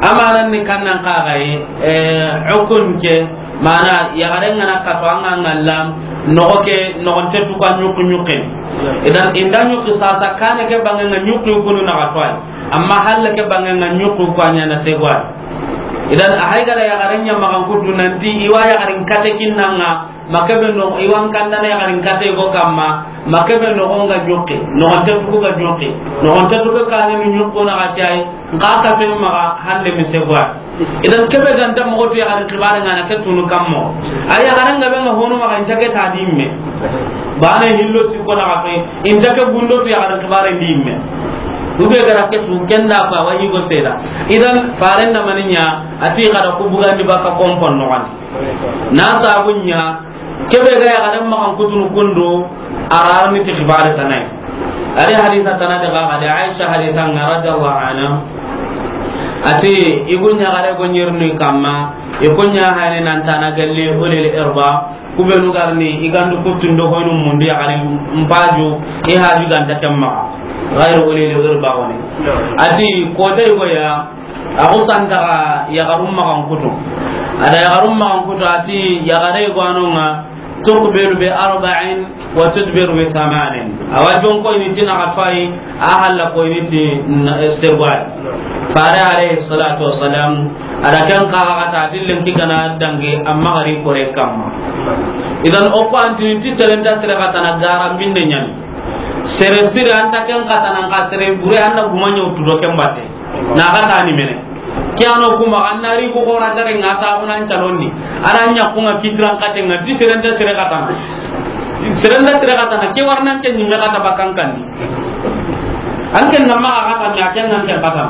Amanan ni kannan kaxaye, eh, ukun ke, Mana, yaxare ŋana kato, an ga ŋalla, noxo ke, noxonte tuka ɲuqi ɲuqi. Idan, inda ɲuqi sasa, kane ke bange ŋa ɲuqi kunu na kato ay. Amma halle ke bange ŋa ɲuqi ko a ɲana seguwayi. Idan, a hay gara yaxare ɲa maxan kutu nanti, i wa yaxarin kate kinnanga, ma kebe no, i wa n kandana yaxarin kate go kamma, ma kebe noxo ŋa ɲuqi, noxonte tuku ga ɲuqi, noxonte tuku kane ni ɲuqi na kate ay, nka kate maxa hande mi seguwayi. Idan kebe ganta moxo tu yaxarin xibare ŋana ke tunu kammo. A yaxaren ga be ŋa honu maxa inta ke ta dimme. Bane hillo sikko na xafe, inta ke gundo tu yaxarin xibare dimme. Ube gara ke tu kenda fa wa yigo seda. Idan faren da maninya, ati xada ku bugandi baka kompon noxondi. Na sabunya, Kebe ga yaxaren maxan kutunu kundu, a ra ni ti xibare tanay. Ari hadisa tana de ga, ga de Aisha hadisa ŋa radiyallahu anha. Ati, i gu ɲaxare go ɲerni kamma, i ku ɲa hayni nan tana galli ulil irba, ku benu garni, i gandu kutundo hoynu mundi yaxare mpaju, i haju ganta kemma, gairu ulil irba woni. Ati, ko tay go ya, A xo santaxa yaxarum maxan kutu. A da yaxarum maxan kutu, a ti yaxare gwanonga, تقبل بأربع وتدبر بثمان. A wa jon ko ini ti naxa tuwayi, a halla ko ini ti na-, seguwayi. Fare alayhi salatu wassalam, a da ken kaxa kata, a ti lenki gana dangi, amma gari kore kamma. Idan o ko antini ti serenta sere xatana gara mbinde ɲani. Sere sire anta ken xatana, nka sere bure anna guma ɲa wutu do ken batte. Na xata ni mene. Ke ano kuma, an na ri ko xora dare ŋa ta xuna n calondi. Ara ɲa ku ŋa kitiran xate ŋa, di sere nta sere xatana. Sere nta sere xatana, ke warna n ke ɲimme xata bakan kandi. An ken na maxa xata, mais a ken na n ke xata.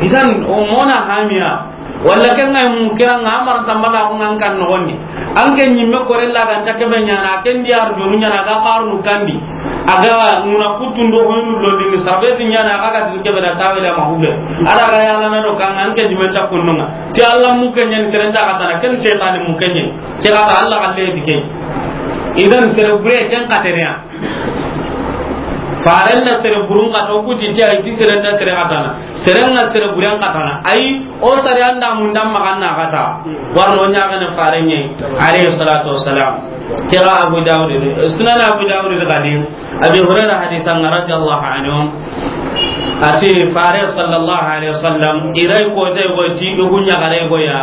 Idan, o mona hamiya. Walla ken ŋa mu kira ŋa amar tambala ko ŋa n kan noxondi. An ke ɲimme kore la ga nta kebe ɲana, ken di arjonu ɲana ga xarnu kandi. A ga muna kutundo hoynu londini, sabe ti ɲana, a ga ga ti kebe da tawila ma hube. A da ga yala na do kan an ke ɲimme ta kunnunga. Ti Allah mu ke ɲen sere nta xatana, ken setani mu ke ɲen. Ke xata Allah xalle ti ke. Idan sere bure ken xatereya. Faren da sere burun xata, o kuti ti ay ti sere nta sere xatana. Sere ŋa sere buren xatana. Ay, o sare anda mun dam maxa na xata. Warno ɲaxene fare ɲe, alayhi salatu wassalam. Kira Abu Dawud de, Sunan Abu Dawud de xadi. Abi Hurairah hadisa ŋa radiyallahu anhu. Ati fare sallallahu alayhi wasallam, iray ko te go ti, i gu ɲaxare go ya.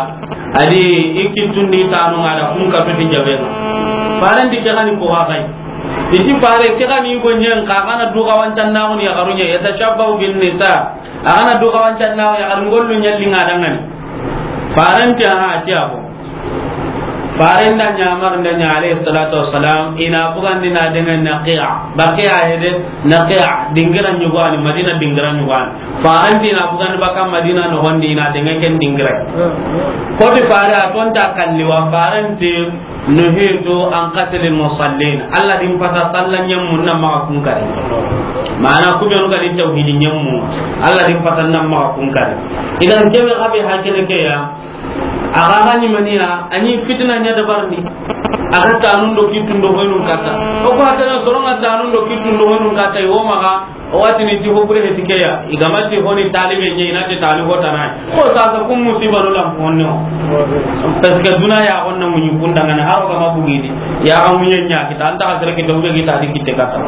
Adi i kitundi tanu ŋa da kun ka fiti jabe. Faren di ke xani ko wa xay. Iti fare ke xani go ɲen ka xana du xawancan na ŋuni yaxaru ɲe, yatashabbahu bin nisa. A xana du xawancan na yaxaru ŋollu ɲalli ŋa dangani. Faren ti aha ti a ko. Faren da ɲamar nda ɲa alayhi salatu wassalam, ina bugandi na dengan Naqi'a. Baqi'a hede Naqi'a dingira ɲugani, Madina dingira ɲugani. Faren ti ina bugandi baka Madina noxondi ina dengan ken dingira. Koti fare a tonta kalli wa faren ti نهيت عن قتل المصلين. Allah din pata salla ɲemmu na maxa kun kari. Mana ku benu ga ni tawhidi ɲemmu. Allah din pata na maxa kun kari. Idan jebe xabe hakene ke ya. A ga ga ni maniya, ani fitina ɲa dabarni. A ga tanun do kitun do hoynun kata. O ko hatana soronga tanun do kitun do hoynun kata, i wo maxa. O watini ti hobure heti ke ya, i ga ma ti honi talibe ɲe, i na ti talibo tana. Ko sasa kun musiba no lam honne o. Parce que duna ya honna muɲi kunda ngana haro ga ma bugidi. Ya ga muɲe ɲa kita, anta ka sere kita, ube kita di kite kata.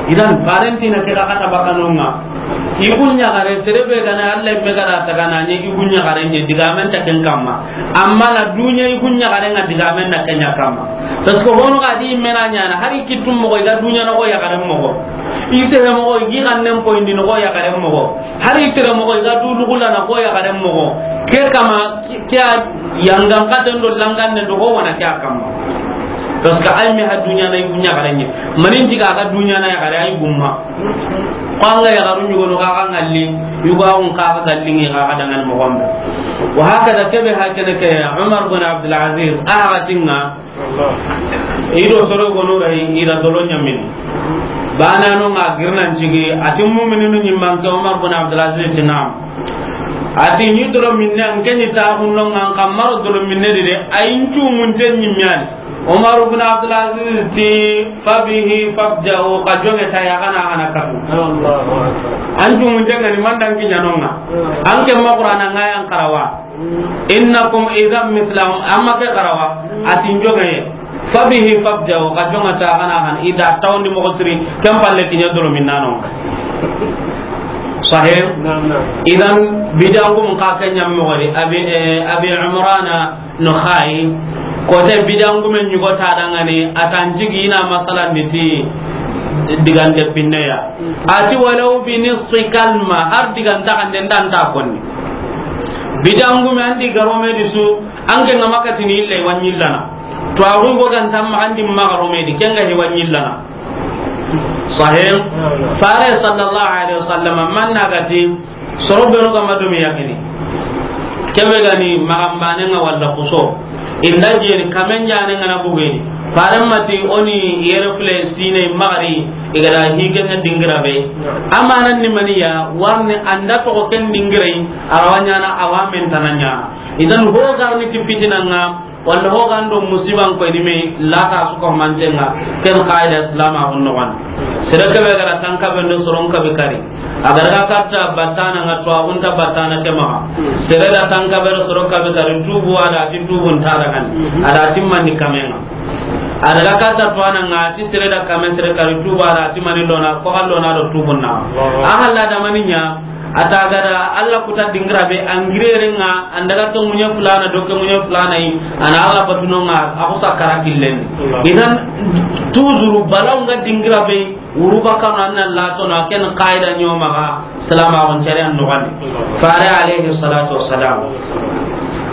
Idan, faren ti na ke ga kata bakanonga. I gu ɲaxare, sere be ga na Alla me ga ra ta ga na ɲa, i gu ɲaxare ɲa, digamen ta ken kamma. Amma na dunya i gu ɲaxare nga digamen na ken ɲa kamma. Parce que hono ga di mena ɲana, hari kittum moxo, i ga dunya noxo yaxaren moxo. I sehe moxo, i gi xannen poyindi noxo yaxaren moxo. Hari tere moxo, i ga du lugula na ko yaxaren moxo. Ke kama, ke a yangan katen do langan ne do ho wana ke a kamma. Parce que ay me ha dunya na i gu ɲaxare ɲa. Manin diga ga dunya na yaxare ay gumma. Ko an ga yaxaru ɲugo no ga ga ngalli, yugo a un ka ga galli ngi ga ga dangan moxo mbe. Wa hakada kebe hakene ke Umar bin Abdul Aziz, a ga tinga, i do soro gono ray, i da dolo ɲamini. Bana no nga girnan cigi, a ti mu'mininu ɲimman ke Umar bin Abdul Aziz ti naam. A ti ni dolo minne an ke ni ta hunno nga an kammaro dolo minne di de, ay ncu munte ɲimmiani. Umar bin Abdul Aziz ti, "Fabihi fabja'u, ka jonge ta ya gana gana katu." Allahu Akbar. An cu munte ngani mandan ki ɲanonga. An ke ma Qur'ana nga yan karawa. Innakum idhan mithlahum, amma ke garawa, a ti n jonge. Fabihi fabja'u, ka jonga ta gana han, i da tawndi moxo siri, ken palle kiɲa dolo minnano. Sahih? Naam, naam. Idan, bidangu mun ka ke ɲam moxo di, Abi, eh, Abi Imrana Nakha'i, kote bidangu men ɲugo ta dangani, a tan jigi ina masalan di ti digande pinneya. A ti walaw bi nisfi kalma, har diganta kande ndanta konni. Bidangume an di garome di su, an ke nga makatini illa i wa ɲillana. To a go ganta ma an di ma garome di, ken ga i wa ɲillana. Sahih? Fare sallallahu alaihi wasallam, man na gati, soro be no ga ma do mi yakini. Kebe gani magambane nga walla kuso. Inda jeni kamen jane nga na bugeni. Fare mati oni yere fule sine magari, i ga da hige nga dingira be. Amanan ni maniya, warni anda to ko ken dingirai, arawanyana awamen tananya. Idan ho garni ti fitina nga, walla ho gando musiban ko ni me lata su ko mantenga, ken qaida islam a honno wan. Sere kebe ga ra tanka be ndo soron ka be kari. A ga ra katta batana nga to a hunta batana ke ma. Sere da tanka be soron ka be kari tubu a da ti tubu nta da kan. A da ti mani kamenga. A daga kata to ananga ti sere da kame sere kari tuba ra ti mani lona ko allona do tubunna. A halla da maninya ata gada Allah kuta dingira be angirere nga andaga to munye fulana do ke munye fulana yi ana Allah batuno nga a ko sakara killen. Idan tuzuru balaw nga dingira be wuru bakano anna latono ken qaida nyoma ga salama on jare an no gani. Fare alayhi salatu wassalam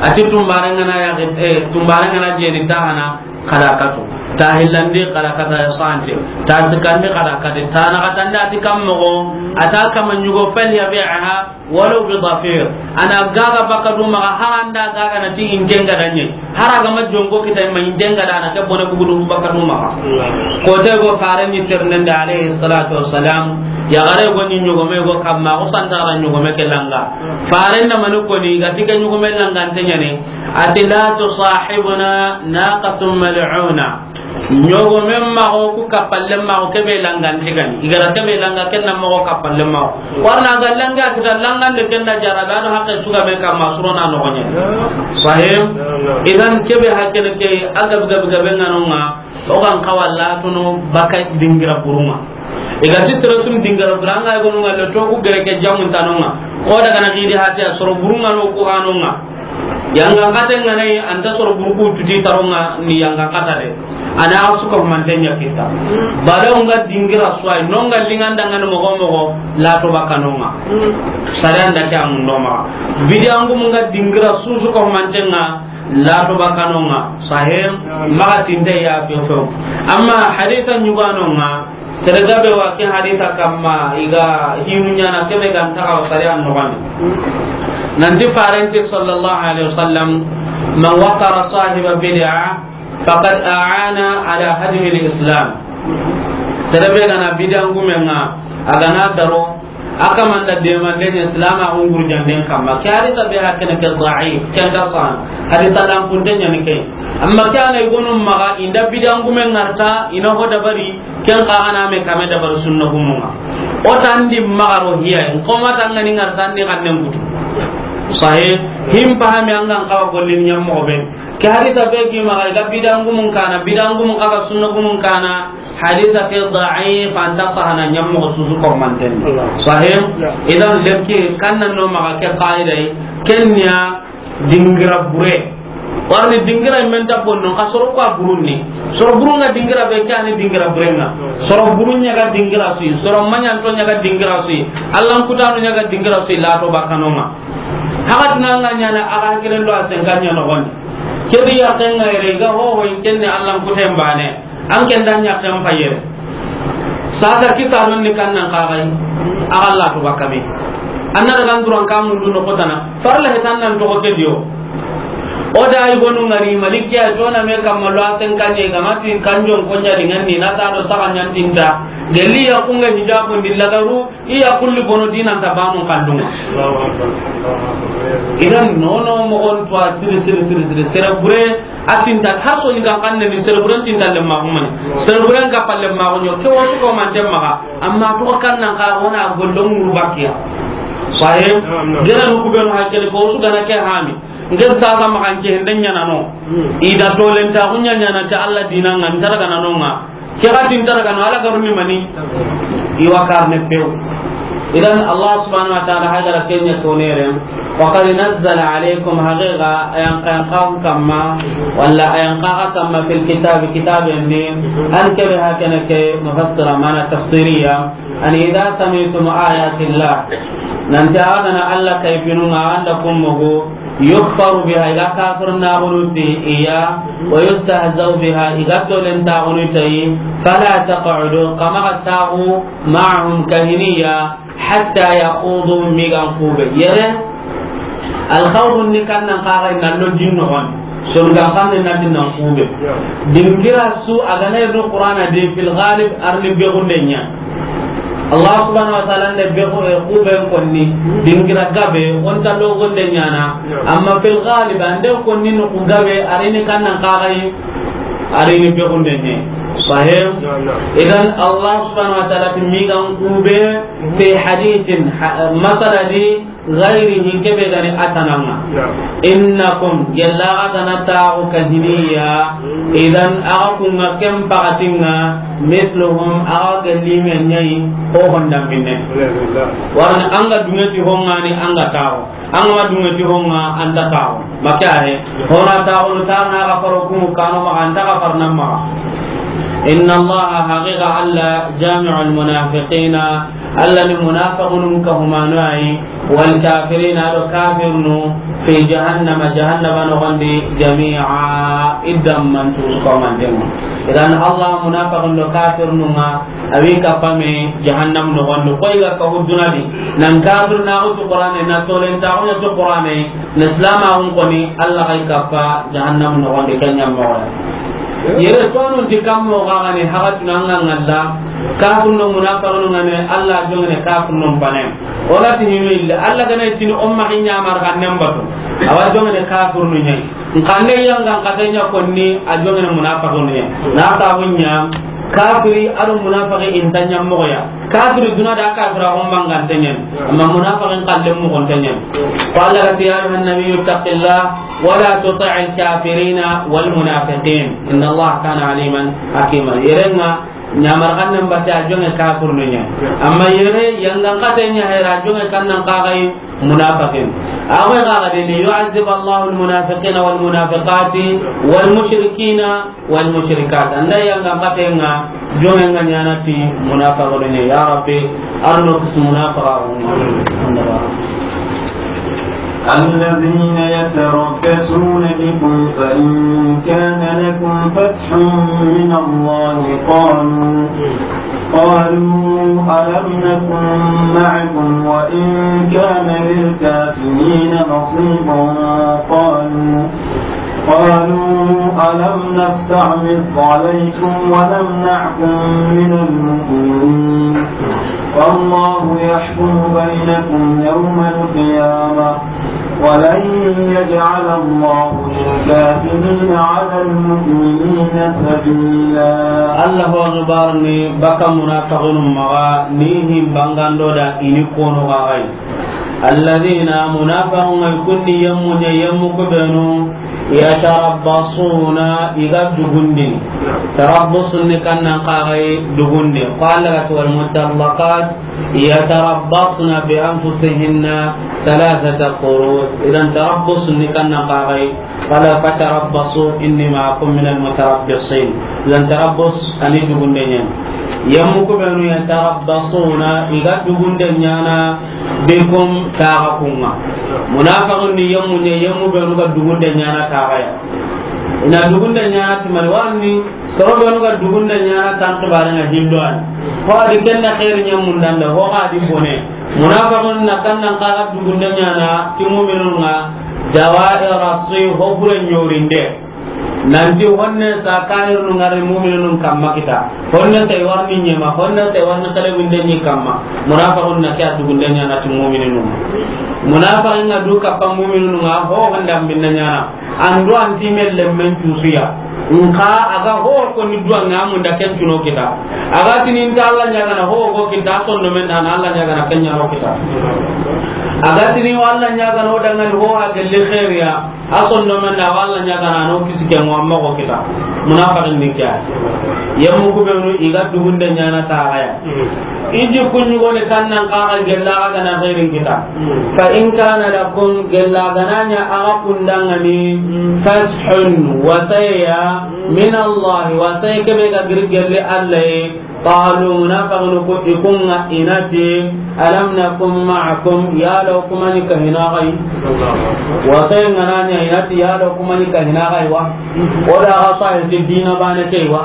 ati tumbare ngana ya eh tumbare ngana je ni tahana kada katu. Ta hillandi kada kata ya sante. Ta sikandi kada kata. Ta na katanda ati kam mogo. Ata kama nyugo fal ya bi'aha walaw bi dafir. Ana gaga bakadu maga haranda gaga na ti injenga danye. Hara ga ma jongo kita ma injenga dana ke bone bugudu bakadu maga. Ko de go fare ni ternende alayhi salatu wassalam. Ya gare go ni nyugo me go kamma go santara nyugo me ke langa. Fare na manu ko ni ga tiga nyugo me langa antenya ne. Ati la tusahibuna naqatun mal'una. Ɲogomen maxo ku kappalle maxo kebe langanti gani. I gara kebe langa kenna maxo kappalle maxo. Warna ga langa kita langande kenna jara da no hakke suga be kamma surona no gonye. Sahim. Idan kebe hakkene ke aga gabe gabe nganonga. O kan kawalla tono baka dingira buruma. I ga ti tere sun dingira buranga e gonu ngalle to ku gere ke jamun tanonga. Ko daga na gidi hati a soro burunga no ku anonga. Yanga kate ngana yi anta soro burku tuti taronga ni yanga kata de. Ana suka mantenya kita. Bala unga dingira swai nonga linganda ngana mogo mogo la to bakanonga. Sare anda ke amundo ma. Bidangu munga dingira susu ko mantenga la to bakanonga. Sahim maga tinde ya fiyo fiyo. Amma haditha nyuganonga. Sere gabe wa ke haditha kamma i ga hinu ɲana kebe ganta ka sari an nogani. Nanti farenti sallallahu alaihi wasallam, "Man waqara sahiba bid'a faqad a'ana ala hadmi al-islam." Sere be gana bidangumenga a gana daro a kamanda demande ɲa silama unguru janden kamma. Ke haditha be hakene ke da'if, ke ga san haditha lampunte ɲani ke. Amma ke ana igonu maga inda bidangume ngarta ina ho dabari. Ken xa gana me kame dabar sunna gumunga. O tandi magaro hiya, in koma tangani ngar tandi xannen kutu. Sahe, him pahami angan xawa gollin ɲam moxo be. Ke hadisa be gi maxa, i ga bidangumun kana, bidangumun xa ga sunna gumun kana, Hadisa ke da'if, an ta sahana ɲammo susu kormanten. Allah. Sahih? Ya. Idan, lemki kannan no maxa ke qaida yi, kenya dingira bure. Warni dingira men ta bonno, ka soro ko burunni. Soro burunga dingira be, kani dingira burenga. Soro burunya ga dingira sui, soro manyanto nya ga dingira sui. Allan kutanu nya ga dingira sui, lato bakanonga. Hakat nanga nyana aga kilen do asen kanya no gon. Kedi ya kenga ere ga ho ho kenne Allan kuten bane. An ken da ɲaxen payere. Sasa kisa don ni kannan kaxay. Axa la to bakame. Anna daga nduran ka mundu no kotana. Farla hetan nan to ko kediyo. O da ay gonu ngari malikiya to na me kamma lo asen kanye gamati kanjon konya dingan ni na ta do saka nyantinda. Geli ya kunga hijabu ndillagaru. Iya kulli bono dinan ta banu kallunga. Allahu Akbar. Allahu Akbar. Idan nono mogon to a siri, siri, siri, siri. Sere bure a tinta har so ni kan kanne ni sere bure tinta le ma humani. Sere bure ka palle ma gonyo ke wasu ko man temma ka. Amma to kan nan ka wona gollon muru bakiya. Sahe. Naam, naam. Gena no kubenu hakkele ko su gana ke hami. Ngen sasa makan ke henden ɲana no. Hmm. Ida tolen ta hunya ɲana ta Allah dinan ngan targa na nonga. Ke ga tin targa no Allah garuni mani. Iwa karne pew. Idan Allah subhanahu wa ta'ala hagara kenya tonere. Wa qad nazzala alaykum, haqiqa ayan kan kan kamma, wala ayan kan kamma fil kitab, kitab ni, an kebe hakana ke mufassira mana tafsiriya. Ani idha sami'tum ayatillah, nanti a gana Allah kayfinu nga anda kummugu, yukfaru biha, iga kafir na gunuti iya, wa yustahzau biha, iga tolen ta gunutai, fala taq'udu, kama tagu ma'ahum kahiniya, hatta yakhudu, migan kube. Yere, Alkhawdu ni kannan kaga na lo jinno wan. Son ga kanne na dinnan kube. Dingira su a ga na do Qur'ana de fil ghalib arni be gunde nya. Allah subhanahu wa ta'ala nde be ko e kube konni. Dingira gabe on ta do gunde nya na. Amma fil ghalib ande konni no ku gabe arini kannan kaga yi. Arini be gunde nya. Sahih. Idan Allah subhanahu wa ta'ala ti migan kube fi hadithin ha-, masala di ghairihi, kebe gani atananga. Naam. Innakum, gella atana taxu kahiniya, idan axa kunga ken pakatinga, misluhum, axa gelli men ɲayi, ho honda minne. Alhamdulillah. Warni anga dungeti hongani anga taxu. Anga ma dungeti honga anta taxu. Maka he, hona taxu ta na ga faro kumu kano ma anta ga farna ma. Inna Allah, haqiqa Allah, jami'ul munafiqina, Allah ni munafiqun ka humanu ayi, wal kafirina, do kafirnu, fi jahannama, jahannama no gondi, jami'a, idam man tu ko man dem. Idan Allah munafiqun do kafirnu nga, awi kapame jahannam no gondi. Koy ga ka huduna di, nan kafir na utu Qur'ane, na tolen ta utu Qur'ane, na islam a un koni, Allah kay kapa jahannam no gondi kanyam mo. Yere tonu di kammo gagane hagatuna nga ngalla, kafir no munafiqun ngane, Allah jongene kafir no bane. Wala ti hinu illa, Allah gane tini umma kinya mar kanem batu. Awa jongene kafir no nyai. Nkande yanga nkatenya konni a jongene munafiqun nyai. Na ta munya kafiri ado munafiqi intanya moya. Kafiri duna da kafira umma ngantenyen. Amma munafiqin kallem mo gontenyen. Qala ya ayyuhan nabiyyu ittaqillah wa la tuti'il kafirina wal munafiqin. Inna Allah kana aliman hakima. Yerenga nyamar kannan batte a jonge kafir no nya. Amma yere yanga kate nya hera a jonge kannan kagai munafiqin. Awe kaga de li yu'azzib Allahu al-munafiqina wal munafiqati wal mushrikina wal mushrikat. Anda yanga kate nga jonge nga nyana ti munafiqun nya. Ya Rabbi, arno kis munafiqun. الذين يتربصون بكم فإن كان لكم فتح من الله قالوا، قالوا ألم نكن معكم وإن كان للكافرين نصيب قالوا، قالوا ألم نستحوذ عليكم ونمنعكم من المؤمنين والله يحكم بينكم يوم القيامة ولن يجعل الله للكافرين على المؤمنين سبيلا. Allahu akbar ni baka munafiqun maga ni him bangando da ini kono gagai. Alladhina, munafiqun kunni yammu nya yammu kubenu Yatarabbasuna, i ga dugundini. Tarabbusun ni kannan kaxay dugundi. Ko Alla ga ti, wal mutallaqat yatarabbasna bi anfusihinna thalathata quru. Idan tarabbusun ni kannan kaxay. Qala fatarabbasu inni ma'akum minal mutarabbisin. Idan tarabbus a ni dugunde ɲaana. Yemmu ku benu yatarabbasuna, i ga dugunde ɲaana bikum, taxa kun ŋa. Munafiqun ni yemmu ɲa, yemmu benu ga dugunde ɲaana taxa ya. I na dugunde ɲaana ti mani, warni soro benu ga dugunde ɲaana tan xibare ŋa hindo ani. Ho a di ken na xeeri ɲa mundanda, ho xa di bone. Munafiqun na kannan kaxa dugunde ɲaana ti mu'minun ŋa, dawa'ira su'i, ho bure ɲorinde. Nanti honne sa kahirunu ŋari mu'minunun kamma kita. Honne sa i warni ɲema, honne sa i warni xelebunde ɲi kamma. Munafiqun na ke a dugunde ɲaana ti mu'minunun. Munafiqin ŋa du kappa mu'minunun ŋa, ho honda mbinna ɲaana. An du an ti me lemmen cusuya. Nka a ga ho ko ni du an ŋa munda ken cuno kita. A ga tini nta Alla ɲaagana ho ko kita, a sondomen da na Alla ɲaagana ken ɲaano kita. A ga tini wa Alla ɲaagana o dangani ho a gelli xeeriya. A sondomen da wa Alla ɲaagana no kisi ke mo amma ko kita. Munafiqin ni ke ya. Yemmu ku benu i ga dugunde ɲaana taxa ya. I jikku ɲugoni kannan kaxa gella xa ga na xeerin kita. Fa in kana lakum, gella ga na ɲa axa kun danŋa ni, fathun, wasaya, min Allah, wasaya ke be ga giri gelli Alla yi. Qalu, munafiqun ku i kun ŋa i na ti, alam nakun ma'akum, yala o ku ma ni kahina xa yi? Wasaya ŋa na ɲa i na ti, yala o ku ma ni kahina xa yi wa? O da ga sahi ti dina bane ke yi wa?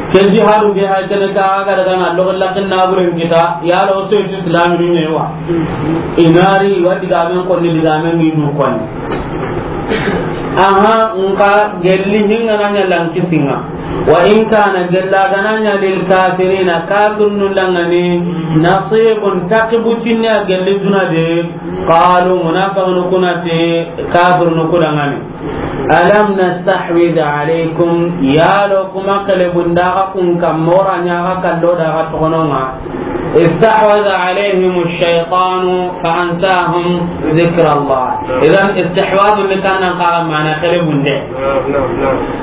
Ke jihadu be hay kene ka ga daga na logo lakin na buren kita, yala o to ti islaminu ɲa yi wa? I na ri wa digamen konni, digamen ŋi du konni. Aha, nka gelli hinga na ɲa lankisinga. Wa in kana, gella ga na ɲa, lil kafirina, kafirunu danŋa ni, nasibun, takibu tinne a gelli duna de. Qalu, munafiqunu ku na ti kafirunu ku danŋa ni, alam nastahwid alaykum, yala o ku ma xelebunda xa kun kamma, o ra ɲa xa kallo da xa toxono ŋa. Istahwadha alayhim ash-shaytanu fa ansahum dhikra Allah. Idan istihwadh ni kannan kaxa mana xelebunde.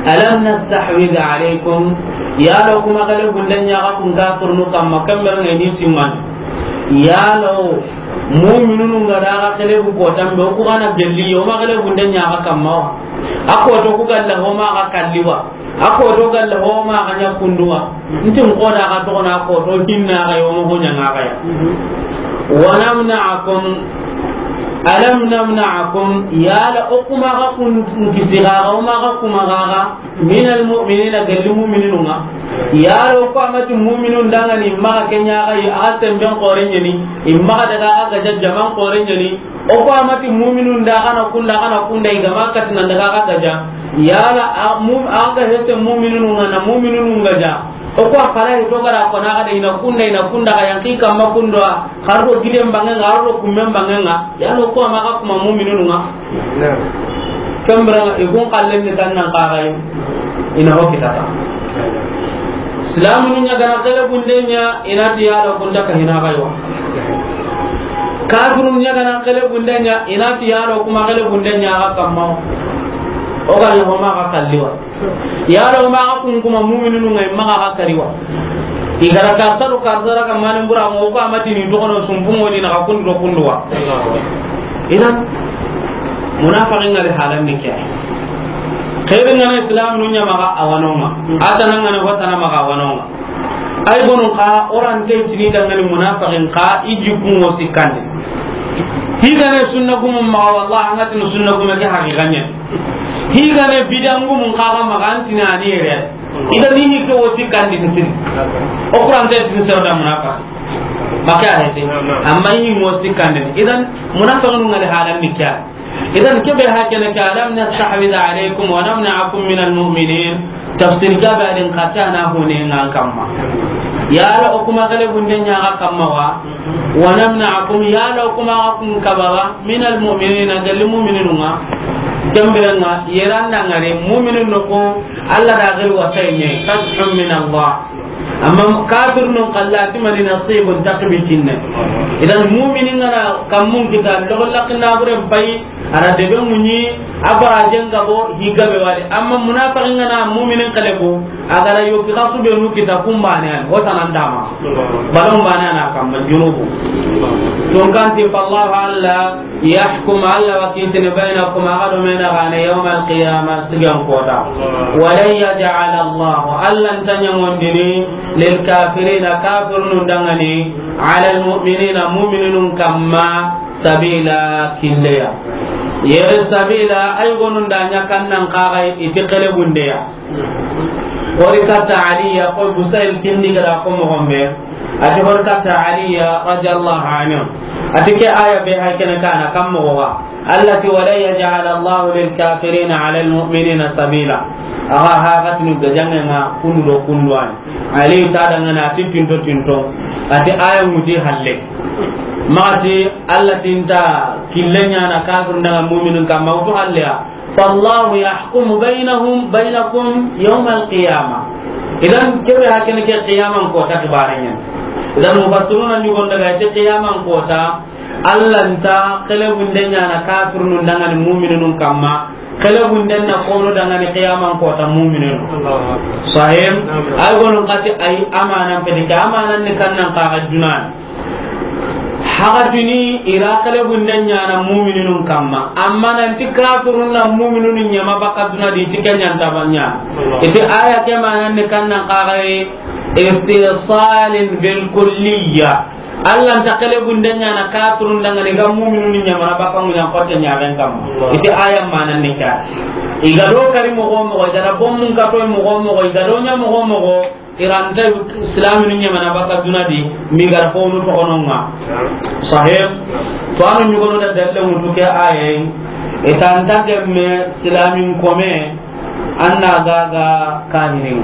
Alam nastahwidh alaykum. Yala o ku ma xelebunde ɲa xa kun kafirunu kamma, kambe ŋa ni simman. Yala o mu'minunu ga da xa xelebu ko tambe, o ku ga na gelli, o ma xelebunde ɲa xa kamma wa? A ko to ku galla ho ma xa kalli wa? A ko to galla ho ma xa ɲa kundu wa? Nti n ko da xa toxono a ko to hinna xa yi, o ma ho ɲa ŋa xa ya. Wa namna'akum, alam namna'akum, yala o ku ma xa kun kisi xa, o ma xa ku ma xa, minal mu'minina, gelli mu'minunu ŋa. Yala o ku a ma ti mu'minun danŋa ni, ma xa ke ɲa xa yi, a xa semben xoore ɲa ni, i ma xa daga xa gaja jaman xoore ɲa ni, O ko a ma ti mu'minun da xa na kunda, xa na kunda, i ga ma kati nan daga xa gaja. Yala a mu-, a ga hete mu'minun ŋa na mu'minun ŋa ja. O ko a fara hito gara ko na ga da i na kunda, i na kunda, ga yanki kamma kundo a, xar do giden bangen ŋa, xar do kummen bangen ŋa. Yala o ko a ma xa kuma mu'minun ŋa. Naam. Kambira ŋa, i kun kallen ni tan nan xa ga yi. I na ho kitata. Silamunu ɲa ga na xele bunde ɲa, i na ti yala o kun ta ka hina ga yi wa. Kafirun ɲa ga na xele bunde ɲa, i na ti yala o kuma xele bunde ɲa ga kamma. O ga ɲa ho ma ga kalli wa. Yala o ma ga kun kuma mu'minunu ŋa, i ma ga ga kari wa. I ga ra ka saru ka sara ka mani bura mo ko a ma ti ni dogono sumpu mo ni na ga kun do kundu wa. Idan, munafiqin ŋa di halan ni ke. Xeerin ŋa na Islam nu ɲa ma ga a wa no ŋa. A tana ŋa na ho tana ma ga a wa no ŋa. Ay gonu xa, o ra nta i tini dangani munafiqin xa, i jikku ŋo sikkandi. Hi ga na sunna gumu ma ga, wallahi, an ga tini sunna gumu ke haqiqa ɲa. Hi ga na bidan gumu xa ga ma ga, an tini a ni yere. Idan i ni ke wo sikkandi ni siri. O Qur'an te tin sero da munafiq. Maka ayati. Amma i ni wo sikkandi. Idan munafiqun ŋa di halan ni ke. Idan ke be hakene ke, alam nastahwidh alaykum wa namna'akum minal mu'minin. Tafsir ga be adin qatana hune ŋa kamma. Yala o kuma xele bunde ɲa ga kamma wa. Wa namna'akum, yala o kuma ga kun kaba wa, minal mu'minin, gelli mu'minun ŋa. Kambira ŋa, yeran da ŋa re, mu'minun no ko, Allah da gel wasayne, fathun min Allah. Amma kafirun xalla ti mani nasibun takbitinne. Idan mu'minin ŋa na kammun kita, logo lakina buren pay, A ra debe ŋuɲi, a bara jenga bo, higa be wali. Amma munafiqin ga na mu'minin kale ko, a ga ra yoki xasu be nu kita kumbane an, o tanan dama. Balon bane na kamma junubu. Tun kanti, fallahu Alla, yahkum Alla wa kitini bainakum, a ga do mena gane, yawmal qiyama, sigan kota. Wa lan yaj'ala Allahu, Alla nta ɲangondini, lil kafirina, kafirunun dangani, ala al mu'minina, mu'minun kamma, sabila, killeya. Yere sabila, ay gonun da ɲa kannan kaga iti kele bundeya. Hori katta Aliya, ko Busayl kindi gara ko mo gombe. Ati hori katta Aliya radiyallahu anhu. Ati ke aya be hay kene kana kam mo wa. Allati wa la yaj'al Allahu lil kafirina ala al mu'minina sabila. Aga ha gatinu gajangenga kundu do kundu an. Ali ta dangana ati tinto tinto. Ati aya muti halle. Mati Alla tinta killenya na kafir daga mu'minun kamma utu halleya. Fallahu yahkumu bainahum, bainakum yawmal qiyamah. Idan kebe hakene ke qiyaman kota kibarenya. Idan mufassiruna ni gonda ga qiyaman kota. Alla nta kele bundenya na kafirunun dangani mu'minun kamma. Kele bunden na kono dangani qiyaman kota mu'minun. Allahu akbar. Sahih. Amin. Ay gonun kati ay amanan pedika amanan ni kannan kaga dunan. Haga duni ira kele bunden ɲana mu'minun kamma. Amma nanti kafirun na mu'minun ɲama baka duna di ti kenyan tabanya. Allahu. Iti aya ke manan ni kannan kaga istisalin bil kulliyya. Alla nta kele bunden ɲana kafirun dangani ga mu'minun ɲamana baka mu'min kote ɲaren kamma. Iti aya manan ni ka. Iga do kari mogo mogo, iga da bommun kato mogo mogo, iga do ɲa mogo mogo, iranta islaminu ɲamana baka duna di, mi gara fonu to ononga. Sahib. To anu ɲugono da dalle mutu ke aya. Itanta gemme islamin kome. Anna gaga kahirin.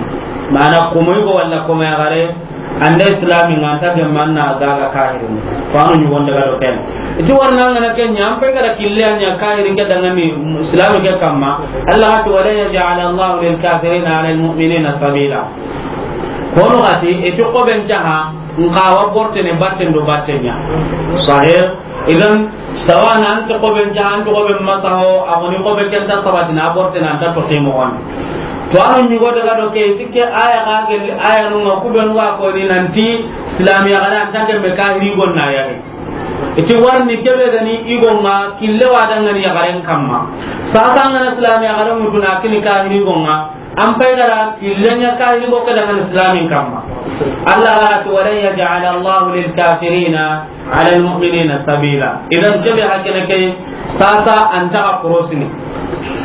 Mana komoy go walla komoy gare. Anda islami nga anta gemma anna gaga kahirin. Fano ɲugon daga do ken. Iti warna ngana ken ɲa, ampe gara kille anya kahirin ke dangani islami ke kamma. Allah hatu, wa la yaj'al Allahu lil kafirina ala al mu'minina sabila. Kono gati, iti koben caha, nkawa bortene batten do batten ɲa. Sahih. Idan, sawana anta koben caha, anta koben masaho, a goni kobe kenta sabatina, a bortene anta toxi moxon. To, anu ɲugo daga do ke, iti ke aya ga gelli, aya nunga kubenu ga koni nanti, islamiya gana anta kemme kahiri gonna yari. Iti warni kebe gani igonga, kille wa dangani yagaren kamma. Sasa ngana islamiya garen mutuna kini kahiri gonga, An pay gara killenya kahiri go kada man islamin kamma. Allah ga ti, "Wa lan yaj'ala Allahu lil kafirina ala al mu'minina sabila." Idan kebe hakene ke sasa anta ka korosini.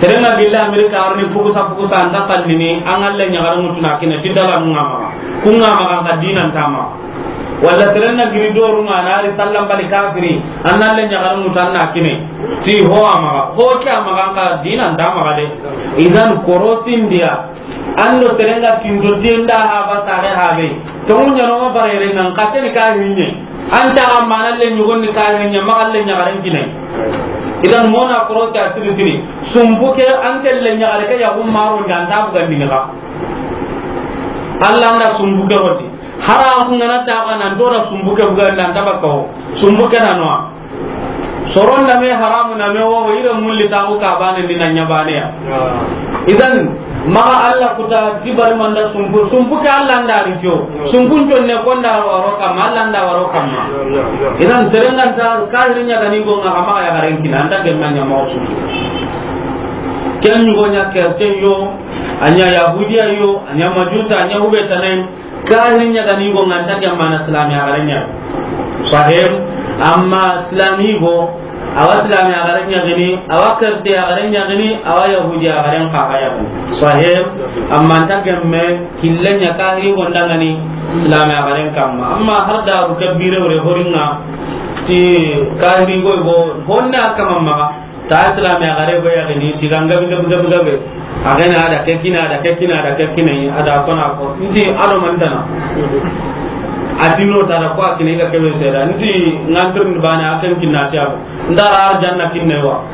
Serenga billa Amerika arni fukusa fukusa anta kallini an Allah ɲagaru mutuna kine fitala nunga ma. Kunga ma kan ka dinan tama. Walla seren na giri doru nga na ri sallan bali kafiri, an na le ɲagaru mutu an na kine. Ti ho a maxa, ho ke a maxa, an ka dinan da maxa de. Idan korosin diya. An do seren ga tindo diyen da ha ba sare ha be. To mun ɲano ma bare re nan ka teni kahiri ɲe. An ta ga ma na le ɲugon ni kahiri ɲe, maxa le ɲagaren kine. Idan mona korosi a siri siri. Sumbu ke an ke le ɲagare ke ya gum maro nda an ta bugan ni ga. Allah nda sumbu ke roti. Hara ku ngana ta ga nan dora sumbu ke buga nan ta baka ho. Sumbu ke na no. Soron da me haramu na me wo ire mulli ta ku ka bane ni na ɲa bane ya. Idan maxa Allah kuta dibar manda sumbu, sumbu ke Allah nda ri jo. Sumbu njon ne konda waro kamma, Allah nda waro kamma. Idan serengan ta kahiri ɲa ga ni go nga kama ya garen kina anta gemma ɲa ma sumbu. Ken ɲugo ɲa kerten yo, a ɲa yahudiya yo, a ɲa majusa, a ɲa hube tanay. Kahiri ɲa ga ni go nga anta ke mana islami a gare ɲa. Sahib, amma islami go, awa islami a gare ɲa gini, awa kerte a gare ɲa gini, awa yahudi a gare ka ga ya. Sahib, amma anta ke me kille ɲa kahiri go ndangani islami a gare kamma. Amma har da bu kabire wure horinga ti kahiri go go honna kama maga. Ta islami a gare go ya gini, ti ganga gabe, gabe, gabe, gabe. A gana ada ke kina, ada ke kina, ada ke kina, ada kona ko. Nti ado mantana. Atino ta da ko akine ga kebe seda. Nti ngantur bana akan kinna tiya. Ndara janna kinne wa.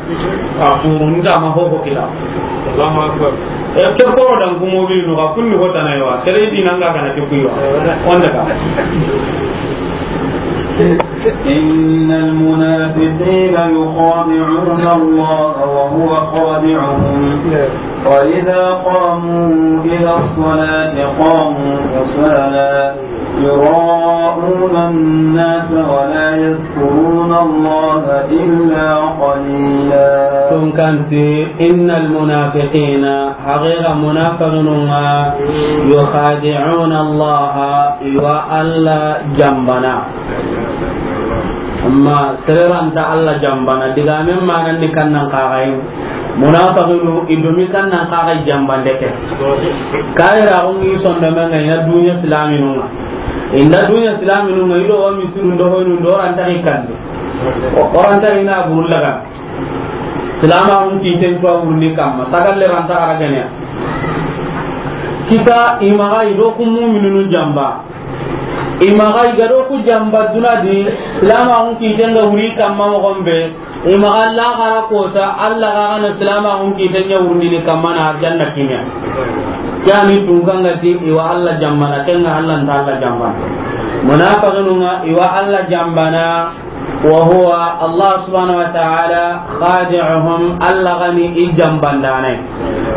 A furu nda ma ho ho kila. Allahu akbar. E ke ko dan ko mo bi no ga kunni ho tanay wa. Sere di nanga kana ke kuyo. Onda ka. إن المنافقين يخادعون الله وهو خادعهم وإذا قاموا إلى الصلاة قاموا كسالى يراءون الناس ولا يذكرون الله إلا قليلا. Tun kanti, إن المنافقين, haqiqa munafiqinun ŋa, يخادعون الله, i wa Alla janbana. Amma sere ra nta Alla janbana, digamen manan ni kannan kaxayi. Munafiqinu, i do mi kannan kaxayi janbande ke. Kayira xo ngi sondomen ŋa, i na dunya silaminun ŋa. I nda dunya silaminun ŋa, i do wa misiru ndo hoynu ndo ra nta i kandi. O ra nta i na buru laga. Silamaxun kiten cuwa wurni kamma, sagalle ra nta a ra gane ya. Kita i maxa i do ku muminunu janba. I maxa i ga do ku janba duna di, silamaxun kiten ga wuri kamma moxon be, i maxa laxara kota, Alla ga gana silamaxun kiten ɲa wurndini kamma na arjanna kimiya. Ke ya ni tun kan ga ti i wa Alla janbana, ken ŋa Alla nta Alla janbana. Munafiqinun ŋa, i wa Alla janbana. وهو الله سبحانه وتعالى خادعهم, Alla ga ni i janbandanai.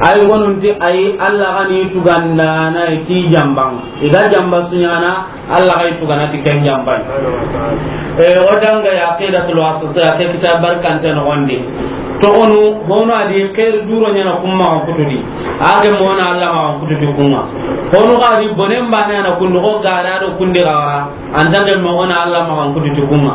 Ay gonunti ay, Alla ga ni i tugandanai ti janban. I ga janba su ɲana, Alla ga i tugana ti ken janban. E, o danga ya Aqidatul Wasitiyya, ke kitab barkante no wandi. To onu, hono a di xeeri duro ɲana kun maxa kutudi. A ge mona Alla maxa kututi kun ŋa. Hono ga di bonen bane na kundu, o ga da do kundi ga wara. An ta gemme o na Alla maxan kutu ti kun ŋa.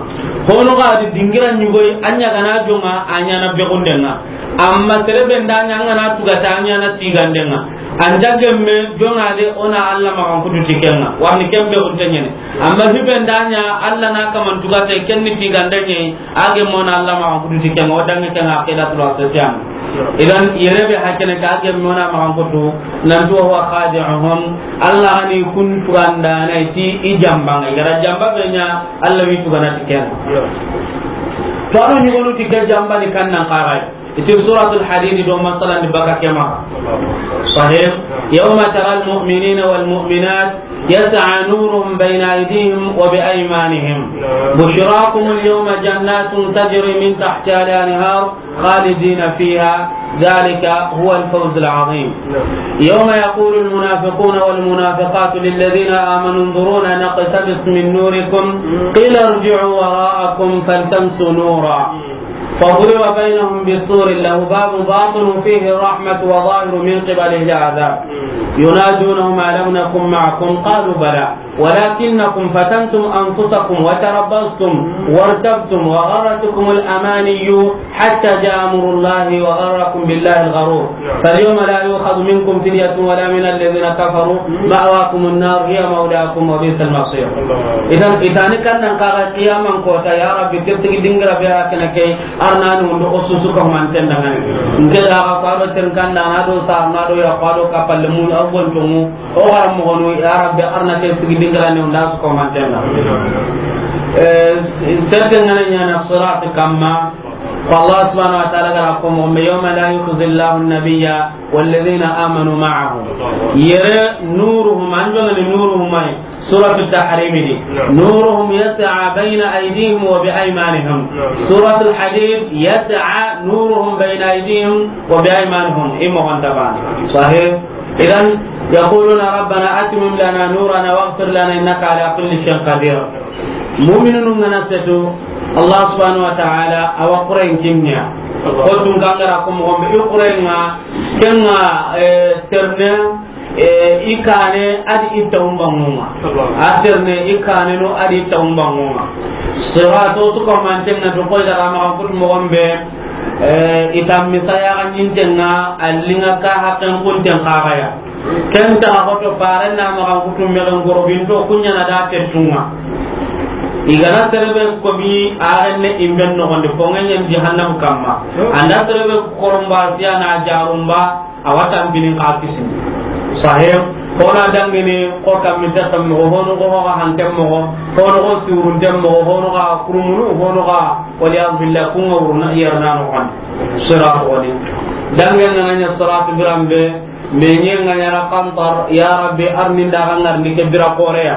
Hono ga di dingira ɲugoyi, a ɲa ga na jonŋa, a ɲana bexunden ŋa. Amma sere be nda ɲa, an ga na tugata, a ɲana tiganden ŋa. An ta gemme jonŋa de, o na Alla maxan kutu ti ken ŋa. Warni ken bexunte ɲene. Amma hi be nda ɲa, Alla na kaman tugate, ken ni tiganden ɲe. A gemme o na Alla maxan kutu ti ken ŋa, o dangi ken ŋa Aqidatul Wasitiyya. Idan, yere be hakene ka gemme o na maxan kutu, nanti وهو خادعهم, Alla ga ni kun tugandanai ti i janban ŋa, i ga ra janba be ɲa, Alla wi tugana ti ken ŋa. To a do ɲugonu ti ke janba ni kannan kaxayi. Iti Suratul Hadid do masalan di baka kema. Sahih. يوم ترى المؤمنين والمؤمنات يسعى نورهم بين أيديهم وبأيمانهم. بشراكم اليوم جنات تجري من تحتها الأنهار خالدين فيها ذلك هو الفوز العظيم. يوم يقول المنافقون والمنافقات للذين آمنوا انظرونا نقتبس من نوركم قيل ارجعوا وراءكم فالتمسوا نورا فضرب بينهم بسور له باب باطنه فيه الرحمة وظاهره من قبله العذاب. ينادونهم ألم نكن معكم قالوا بلى ولكنكم فتنتم أنفسكم وتربصتم وارتبتم وغرتكم الأماني حتى جاء أمر الله وغركم بالله الغرور. فاليوم لا يؤخذ منكم فدية ولا من الذين كفروا مأواكم النار هي مولاكم وبئس المصير. Idan, i ta ni kannan kaxayi qiyaman kota, ya Rabbi, ke sigi dingira be a kene ke, arna ni undo o susu ko manten da ngani. Nke da ga ko a do ten kanda na do sa na do ya ko a do ka palle mu a gon to mu. O ga mo gonu, ya Rabbi, arna ke sigi dingira ni unda su ko manten da. Eh, tete ngana ɲana sirat kamma. Ko Allah subhanahu wa ta'ala ga ra ko mo, يوم لا يخزي الله النبي والذين آمنوا معه. Yere nuruhum, an jongani nuruhum ay. Suratu Tahrim di. Naam. نورهم يسعى بين أيديهم وبأيمانهم. Naam. Suratul Hadid, يسعى نورهم بين أيديهم وبأيمانهم. Imo gonta bana. Sahih. Idan, يقولون ربنا أتمم لنا نورنا واغفر لنا إنك على كل شيء قدير. Mu'minunu ngana setu, Allah subhanahu wa ta'ala, a wa Qur'an kinniya. Allah. Ko tun kangara ko mo gombe i Qur'an nga, kenga, eh, terne, eh, i kane adi i tawumba ngunga. Allah. A terne i kane no adi i tawumba ngunga. Sirato su ko mantenga to ko daga ma ko mo gombe, eh, i tammi saya ga nyintenga, allinga ka hakken kunten kagaya. Ken ta hoto faren na maxa kutu mexen goro binto kuɲana da tettunga. I gana serebe kobi arenne imben noxondi, fo ŋeɲen jahannam kamma. Anda serebe koromba siya na jarumba, a wa tampini xa kisini. Sahih, kona dangini ko kammi taxam moxo, hono ko xa hantem moxo, hono ko surunten moxo, hono xa kurumunu, hono xa, waliyahu billah, kunga wuruna iyarna noxondi. Siratu woni. Dangen na ɲa siratu birambe, Me ɲen ŋa ɲaana Qantar, ya Rabbi, arni n daga ŋarni ke bira xoore ya.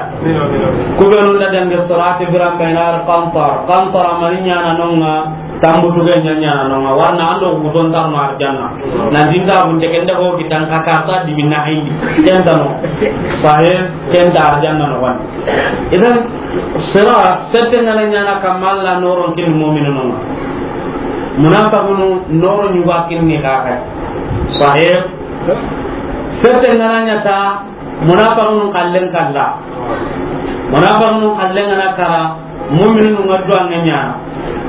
Ku be nu nda dangi Sirati biran be na ri Qantar. Qantar a mani ɲaana no ŋa, tambutu ge ɲa ɲaana no ŋa. Warna an do wuton tar no arjanna. Na dinga bunte ken da ho kitan ka karta di binna hindi. Ken ta no. Sahih, ken ta arjanna no wan. Idan, Sirat, sette ŋa na ɲaana kamma Alla nooron kin mu'minunu ŋa. Munafiqunu nooro ɲuga kinni ka kay. Sahih. Sette ŋa na ɲa ta, munafiqunu kallen kalla. Munafiqunu kallen ŋa na kara, mu'minunu ŋa duwa ŋa ɲaana.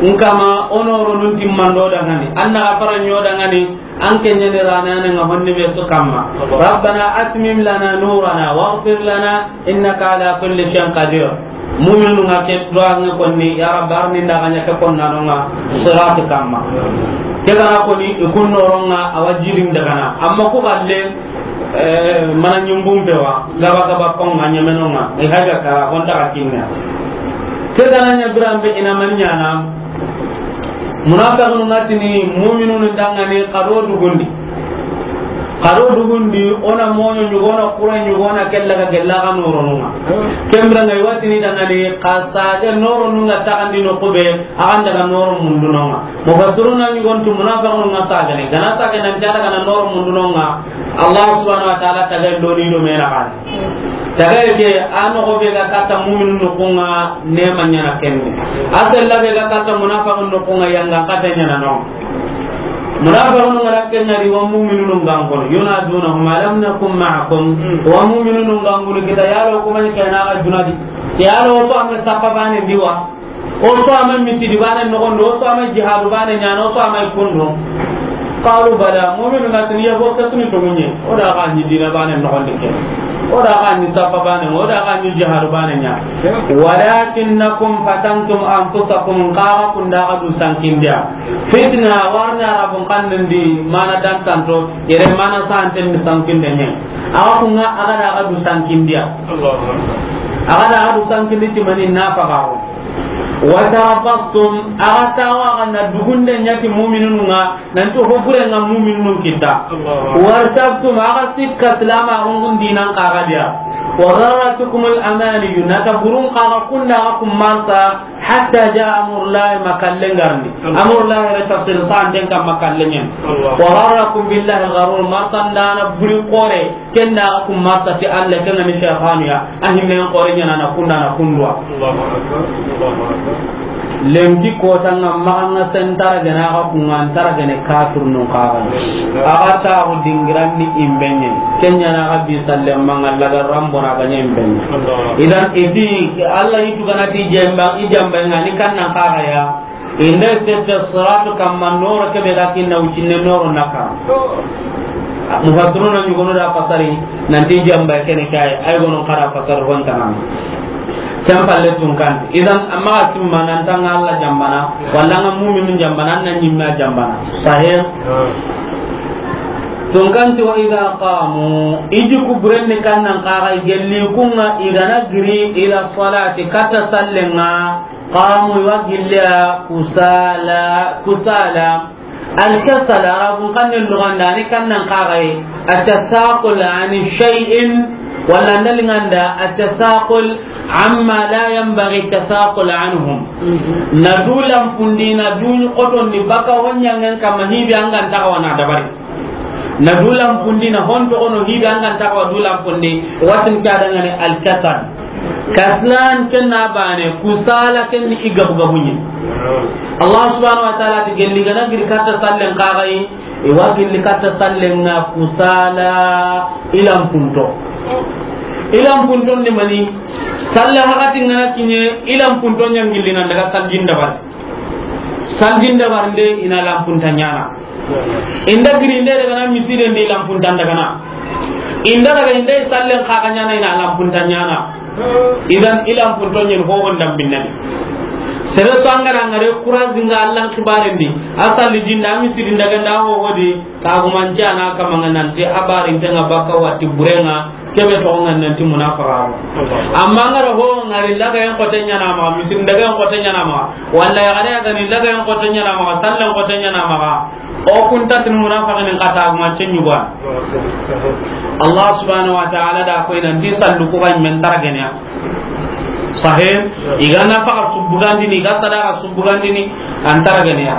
Nkama o nooro nun timmando dangani. Anna gafara ɲo dangani. An ke ɲani ranane ŋa honni be su kamma. Rabbana atmim lana nurana waghfir lana innaka ala kulli shay'in qadir. Mu'minunu ŋa ke duwa ŋa konni, ya Rabbi, arni n daga ɲa ke konna no ŋa Sirat kamma. Ke gana koni, i kun nooro ŋa a wa jirin daga na. Amma ku galle, eh, mana ɲumbun be wa, gaba gaba kon ŋa ɲameno ŋa. I haga kara, kon daga kinna. Ke gana ɲa biran be ina man ɲaana. Munafiqunu ŋa tini mu'minunu dangani kado dugundi. Kado dugundi, o na moɲo ɲugo, o na kure ɲugo, o na kella ga gella ga nooronu ŋa. Kembira ŋa i wa tini dangani ka sage nooronu ŋa taxandi no kube, a ga n daga nooro mundu no ŋa. Mufassiruna ɲugon tu munafiqunu ŋa sagene. Gana sage nan jara gana nooro mundu no ŋa. Allah subhanahu wa ta'ala taga doni do mena kan. Tagaye ke, a noxo be ga katta mu'minu noxu ŋa, nema ɲaana kenne. A sella be ga katta munafiqu noxu ŋa, yanga kata ɲaana no. Munafiqu ŋa ra kenna ri wa mu'minu ŋa n kono. Yunadunahum alam nakum ma'akum. Wa mu'minu ŋa n kono kita yalo kuma ni kena ga dunadi. Yalo ko am sappa bane diwa. O so a ma misidi bane noxondi, o so a ma jihadu bane ɲaana, o so a ma kundu. Qalu bala, mu'minu ŋa tini ya bo ke suni toŋu ɲe. O da ga ni dina bane noxondi ke. O da ga ni sappa bane, o da ga ni jihadu bane ɲa. Walakinnakum fatantum anfusakum, xa ga kunda ga du sankindiya. Fitna warna Arabun xannen di mana dantanto, yere mana santen di sankinde ɲe. Awa ku ŋa a ga da ga du sankindiya. Allahu Akbar. A ga da ga du sankindi ti mani na faga ho. Wa tarabastum, a ga tawa ga na dugunde ɲa ti mu'minunu ŋa, nanti ho bure ŋa mu'minunu kita. Allahu Akbar. Wartabtum, a ga sikka silama gungun dinan xa ga diya. Wa gharratukumul amaniyu, na ta burun xa ga kunda ga kummarsa, hatta jaa amrullahi, ma kallen garni. Allahu Akbar. Amrullahi re tafsir san den kam ma kallen ɲen. Allahu Akbar. Wa gharrakum billahi al-gharur, marsandana buri xoore. Kenda ga kumma sati Alla, kenga ni shaytanu ya, a himme en xoore ɲaana na kunda na kundwa. Allahu Akbar, Allahu Akbar. Lenki kota ŋa maxa ŋa sentara gana ga kunga antara gane kafir nun kaga. A ga ta go dingiran ni imbenye. Kenya na ga bi salle manga laga rambo na ganye imbenye. Allahu Akbar. Idan iti Alla itu gana ti jemba, i jamba ŋa ni kannan kaga ya. Inda sette siratu kamma noro kebe ga kinna wucinne noro naka. Mufassiruna ɲugono da fasari nanti jamba kene kay, ay gono kada fasar hon tanan. Tampalle tunkan. Idan amma asimma nan tanga Alla jambana, walla nga mu'minu jambana, nan ɲimma jambana. Sahih. Tunkanti wa idha qamu, iji kuburenni kannan kaga gelli kunga igana giri ila salati kata sallenga. Qamu, i wa gilli ya kusala, kusala. Al-kasal, Arabun xannen luganda, a ni kannan kaga yi, at-tasaqul an shay'in, walla ndalinganda, at-tasaqul amma la yanbaghi at-tasaqul anhum. Na du lampundi, na du xotondi, baka honyangen kama hibi angan taga wana dabari. Na du lampundi, na honto ono hibi angan taga wa du lampundi, watin kadangane al-kasal. Kaslan ken na bane, kusala ken ni i gabu gabu ɲi. Allah subhanahu wa ta'ala ti gelli gana giri katta sallen kaga yi, i wa gelli katta sallen nga kusala ilampunto. Ilampunto ni mani, salla hakati ngana kinye, ilampunto ɲangilli nan daga saljin dabar. Saljin dabar nde ina lampunta ɲana. Inda giri nde daga na misire ndi lampunta daga na. Inda daga inda sallen kaga ɲana ina lampunta ɲana. Idan ilampunto ɲen ho wonda binnani. Sere so angara ngare kurazi nga Allan kibare ndi. Asali jinda misiri daga nda ho hodi. Kagumanci a na kamanga nanti a barintenga bakka watti burenga, kebe toxonga nanti munafaxaxu. Amma ngara ho ngari lagayen xote ɲana maxa, misiri ndagayen xote ɲana maxa, walla yaxare a gani lagayen xote ɲana maxa, sallen xote ɲana maxa, O kunta tin munafiqin kata ma cenyu ba. Allah subhanahu wa ta'ala da ko ina ndi sallu ko ban men taraganya. Sahih. I ga nafaqa su bugandini, i ga sadaqa su bugandini, an taraganya.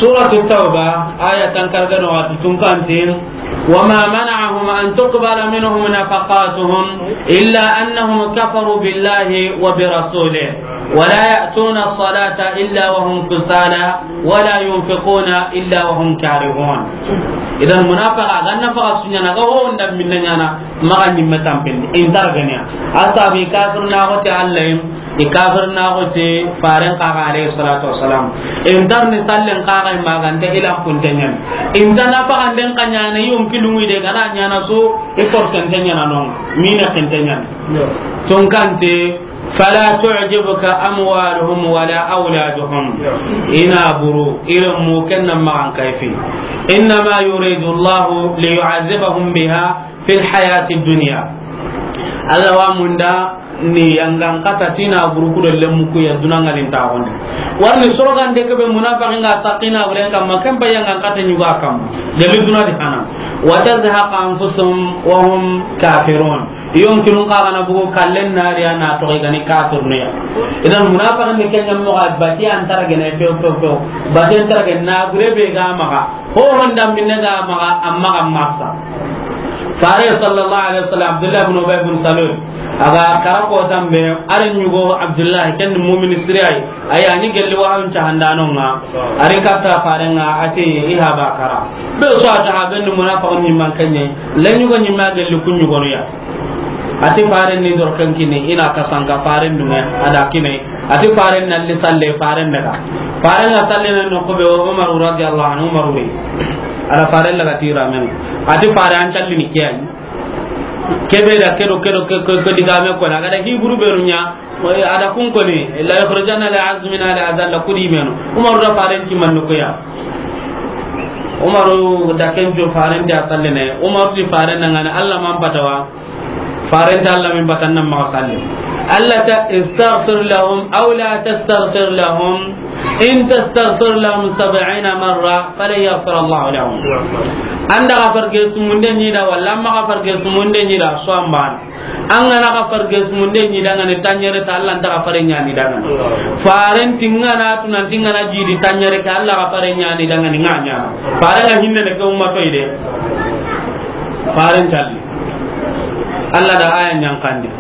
Suratu Tawba, aya tan karga no wati tun kantin. وما منعهم أن تقبل منهم نفقاتهم إلا أنهم كفروا بالله وبرسوله ولا يأتون الصلاة إلا وهم كسالى ولا ينفقون إلا وهم كارهون. Idan munafiqa ga nafaqa su ɲaana, ga ho nda minna ɲaana, maxa ɲimme tampindi, i nta ragana ya. A sabu i kafirina xote Alla yi, i kafirina xote Faaren xa ga, alayhi salatu wassalam. I nta ri sallen xa ga, i maganta i lanpunte ɲaana. I nta nafaxanden xa ɲaana, i yonki lunŋi de, ga na ɲaana su, i forcente ɲaana no, mina kente ɲaana. Tonkante, فلا تعجبك أموالهم ولا أولادهم. I na buru, i renmu ken na maxa an kayfi. إنما يريد الله ليعذبهم بها في الحياة الدنيا. Alla wa munda ni yangan kata ti na buru ku do lenmu ku ya duna ŋalin ta xonde. Warni sorogan de ke be munafiqin ga saqina buren kamma, ken ba yangan kata ɲuga kamma. Delu duna di hana. وتزهق أنفسهم وهم كافرون. Yonkinun xa ga na bugu kallen na ri ya na toxo i ga ni kafirinu ya. Idan munafiqin ni ken ɲa moxo, bati an ta ragana ya few, few, few. Bati an ta ragana na gure be ga maxa. Ho honda minne ga maxa, amma ga masa. Faare sallallahu alayhi wasallam, Abdullah ibn Ubay ibn Salul, a ga kara ko tambe, a ri ɲugo Abdullah, ken mu'mini siri yi. Ayi, a ɲi gelli wahawun cahandanon ŋa. A ri katta Faaren ŋa, a ti i haba kara. Be su a ta haben ni munafiqun ɲi man kenye. Len ɲugo ɲi ma gelli kun ɲugonu ya. A ti Faaren ni doroken kini, i na kasanka Faaren dunŋe, a da kine. A ti Faaren na li salle, Faaren daga. Faaren na salle na no ko be o Umaru radiyallahu anhu, Umaru wi. A da Faaren daga tira men. A ti Faare an calli ni kiyan. Kebe da kedo, kedo, ke, ke, ke digame ko na ga da hiburu be ru ɲa. A da kun koni, "ليخرجن الأعز منها الأذل" kudi meno. Umaru da Faaren ti mannu ko ya. Umaru da ken jo Faaren ti a sallene. Umaru ti Faaren na ŋa ni Alla man patawa. Faaren ti Alla min patan nan ma salli. Alla ta, "استغفر لهم أو لا تستغفر لهم إن تستغفر لهم سبعين مرة فلن يغفر الله لهم." An da ga farge sumunde ɲi da, walla an ma ga farge sumunde ɲi da, so an ban. An ga na ga farge sumunde ɲi da ŋa ni tanɲere ta, Alla nta ga fare ɲaani da ŋa ni. Faaren ti ŋa na tu nan ti ŋa na jidi tanɲere ke, Alla ga fare ɲaani da ŋa ni ŋa ɲaana. Faaren ga hinne ne ke ummato i de. Faaren calli. Alla da aya ɲankandi.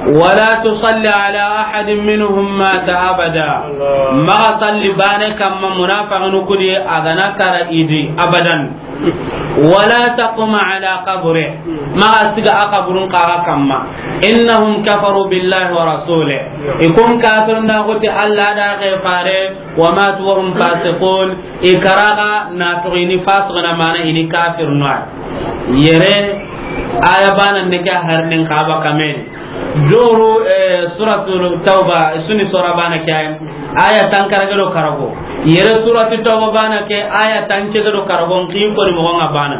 "ولا تصل على أحد منهم مات أبدا." Maxa salli baane kamma munafiqinu kudi a ga na kara i di abadan. "ولا تقم على قبره." Maxa siga a kaburun xa ga kamma. "إنهم كفروا بالله ورسوله." I kun kafirina xote Alla da a ke Faare, "وماتوا وهم فاسقون." I kara ga na toxo i ni fasiqina, mana i ni kafirinu ya. Yere aya banan ne ke harnin xa ba kamen. Doru, eh, Suratul Tawba, suni sura bana ke aya. Aya tankarage do karago. Yere Suratul Tawba bana ke aya tancege do karago, nki ko ni moxo ŋa bana.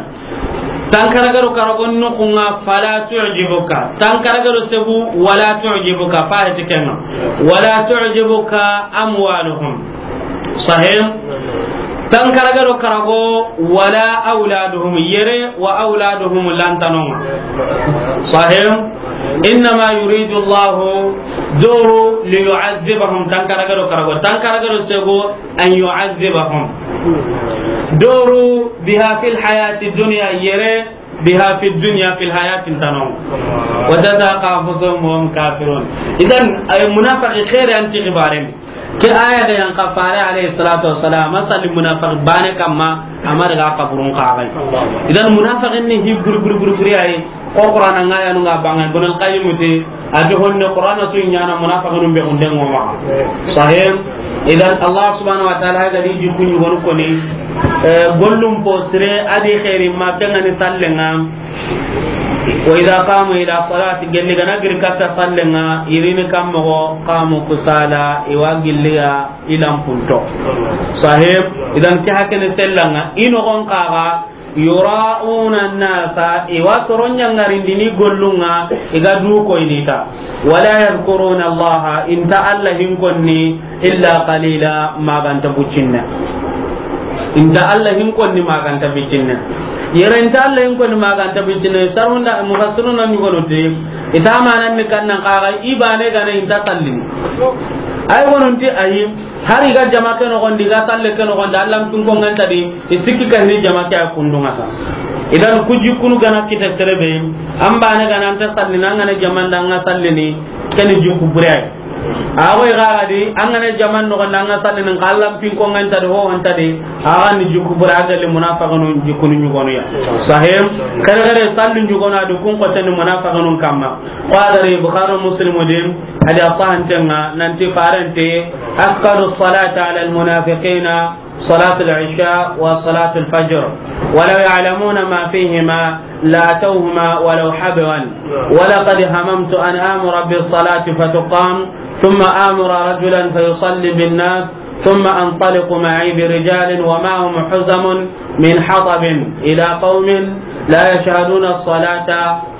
Tankarage do karago nuxu ŋa, "فلا تعجبك." Tankarage do segu, "ولا تعجبك." Fa heti ke ŋa. "ولا تعجبك أموالهم." Sahih. Tankarage do karago, "ولا أولادهم." Yere wa awladuhum lantano ŋa. Sahih. "إنما يريد الله" doru, "ليعذبهم." Tankarage do karago. Tankarage do segu, "أن يعذبهم." Doru, "بها في الحياة الدنيا." Yere, "بها في الدنيا" في الحياة ntano. "وتزهق أنفسهم وهم كافرون." Idan, ay munafiqi xeeri an ti xibaaren. Ke aya ga yan xa Faare alayhi salatu wassalam, a salli munafiqi baane kamma, a ma daga kaburun xa ga. Idan munafiqin ni hi buru, buru, buru, buru ayi. Ko Qur'ana ŋa ya nu ŋa banga, Ibn al-Qayyim ti, a do honne Qur'ana su ɲaana munafiqinu be hunde ŋo ma. Sahih. Idan Allah subhanahu wa ta'ala ga di jikku ɲugonu ko ni, eh, gollum po sire a di xeeri ma ke ŋa ni sallen ŋa. "وإذا قاموا إلى الصلاة", gelli ga na giri katta sallen ŋa, i ri ni kammo, "قاموا كسالى", i wa gilli ya i lanpunto. Sahih. Idan ke hakene sellan ŋa, i noxon xa ga, "يراءون الناس", i wa soro ɲangarindini gollun ŋa, i ga du koyini ta. "ولا يذكرون الله", i nta Alla hinkonni, "إلا قليلا", ma ga nta bucinne. Inta Allah hin konni ma ga nta bitinne. Yere inta Allah hin konni ma ga nta bitinne. Sarunda mufassiruna ni gono te. Ita manan ni kannan kaga i bane gana inta sallini. Ay gonon ti ayi. Hari ga jama ke no gondi ga salle ke no gondi Allah tun ko nganta di. I sikki ka ni jama ke a kundunga sa. Idan kuji kunu gana kita terebe. An bane gana anta sallini an gana jama ndanga sallini. Keni jikku bure ay. Awa i gara di, an gana jaman no ganda an ga sallini ka Allah pin ko nganta di ho anta di, a ga ni jikku bure a ga li munafiqunu jikkunu nyugonu ya. Sahih, kare kare sallu nyugonu a di kun ko tani munafiqunu kamma. Ko a gari Bukhari Muslim di, hadi a sahantenga, nanti farante, أثقل الصلاة على المنافقين صلاة العشاء وصلاة الفجر، ولو يعلمون ما فيهما لأتوهما ولو حبوا، ولقد هممت أن آمر بالصلاة فتقام، ثم آمر رجلا فيصلي بالناس، ثم أنطلق معي برجال ومعهم حزم من حطب إلى قوم لا يشهدون الصلاة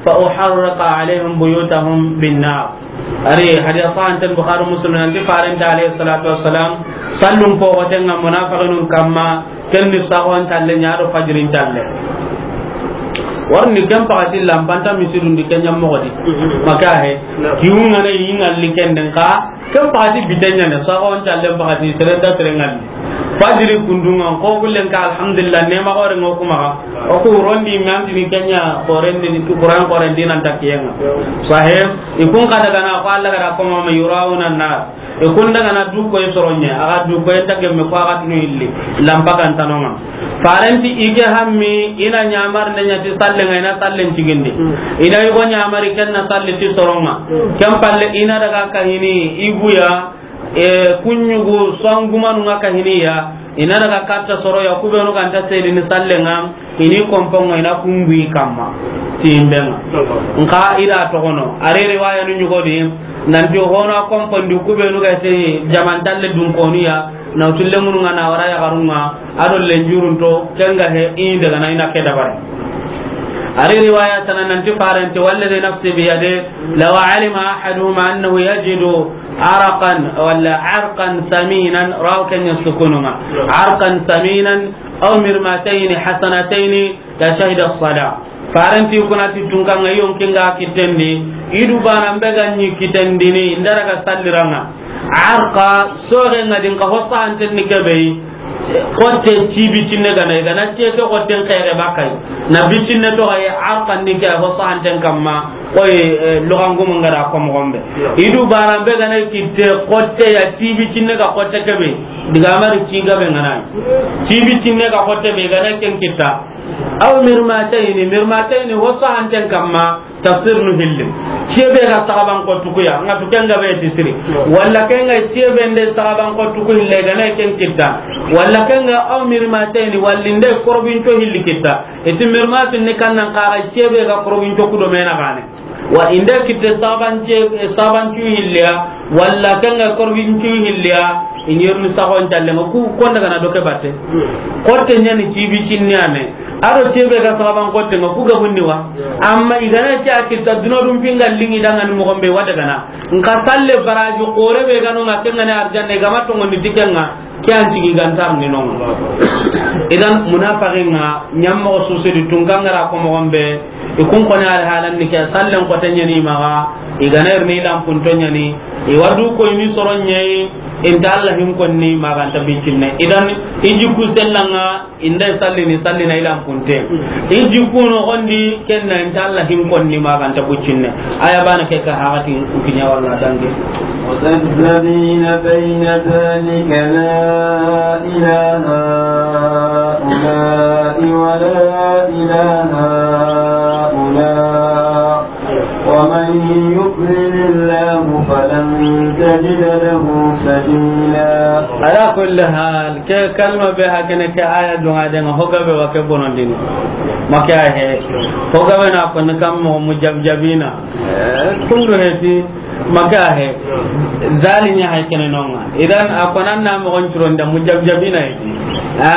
فأحرق عليهم بيوتهم بالنار. Ari, hadiya sahanten Bukhari Muslim nanti farenta alayhi salatu wassalam, sallun pogotenga munafiqinun kamma, ken ni sagon talle ɲa do fajirin talle. Warni ken pakati lampanta misidun di ken ɲa mogodi. Maka he, kiwunga ne yinga li ken den ka, ken pakati bitenya ne, sagon talle pakati serenda serengal. Fajiri kundunga, ko gullen ka, alhamdulillah, nema gore ngo kuma. O ku rondi mi antini kenya, korendi, tu Qur'an korendi nan takiyenga. Sahih, ikun kada gana ko Allah kada ko ma yurauna nas. Ikun daga na du ko soronya, aga du ko ta gemme ko aga tunu illi. Lampa kan tanonga. Farenti ike hammi, ina nyamar ne nyati sallenga, ina sallen tigindi. Ina yugo nyamari ken na salli ti soronga. Ken palle ina daga kahini, iguya, e, kunyugu songumanu nga kahiniya, ina daga katta soro ya kubenu ganta sedini sallenga, ini komponga ina kungui kamma, timbenga. Nka ida togono, ari riwaya nu nyugodi, nanti hona kompondi kubenu ga te jamantalle dunkoniya, na utulle munu nga na wara ya garunga, ado lenjurunto, kenga he ini daga na ina ke dabari. Ari riwaya tana nanti farenti, والذي نفسي بيده لو علم أحدهم أنه يجد عرقا ولا عرقا ثمينا، راو كان يسكنهما، عرقا ثمينا أو مرمتين حسنتين لشهد الصلاة. Farenti kunati tunkanga yonkinga kitendi, idu bana mbega nyi kitendini, ndaraga salliranga. Arqa, soge nga dinka hosa anten ni kebe, kotte ci bitinne gana, gana ci ke kotten kere bakai. Na bitinne to ay arqa ni ke hosa anten kamma, koy, eh, logangu mangara ko mo gombe. Idu bana be gana kitte kotte ya ci bitinne ga kotte kebe. Diga mari ci gabe ngana. Ci bitinne ga kotte be gana ken kitta. Aw mirmatayni, mirmatayni hosa anten kamma. Tafsir nu hilli. Ciye be ga saxaban ko tukuya, nga tuken ga be ti siri. Walla ken ga ciye be nde saxaban ko tuku hille ga ne ken kitta. Walla ken ga aw mirmatayni, walla nde korbinto hilli kitta. Iti mirmatin ni kannan kaga ciye be ga korbinto kudo mena gane. Wa inde kitte saxaban ciye, saxaban ciye hilliya, walla ken ga korbinto hilliya, inyerni saxon talle ma ku konda gana doke batte. Korte nyani cibi cinni ane. Ado tebe ga saxaban kotte nga ku ga bunni wa. Amma igana ti a kitta duna dum pinga lingi dangan mo gombe wada gana. Nka salle baraji kore be gano nga kenga ne arjanne gama to ngondi dikenga ke an tigi gantar ni non. Idan munafiqin nga nyammo susudi tungangara ko mo gombe. Ikun kone al halan ni ke sallen ko tanyani maga. Igana irni lampun tonyani. Iwadu ko ini soron nyai. Inta Allah hin konni maganta bicinne. Idan iji ku sellanga. Inda sallini, sallina ilan punte. Iji kuno gondi kenna inta Allah hin konni maganta bucinne. Aya bana ke ka hagati kukinya walla dange. مذبذبين بين ذلك لا إلى هؤلاء ولا إلى هؤلاء ومن يضلل الله فلن تجد له سبيلا. Ala kulli hal, ke kalma be hakene ke aya dunga de nga hoga be wa ke bonondini. Maka he. Hoga be na ko ni kam mo mujabjabina. Eh, kundu he ti maka he. Zalinya hay kene nonga. Idan akonan na mo gon curonda mujabjabina he. Ha?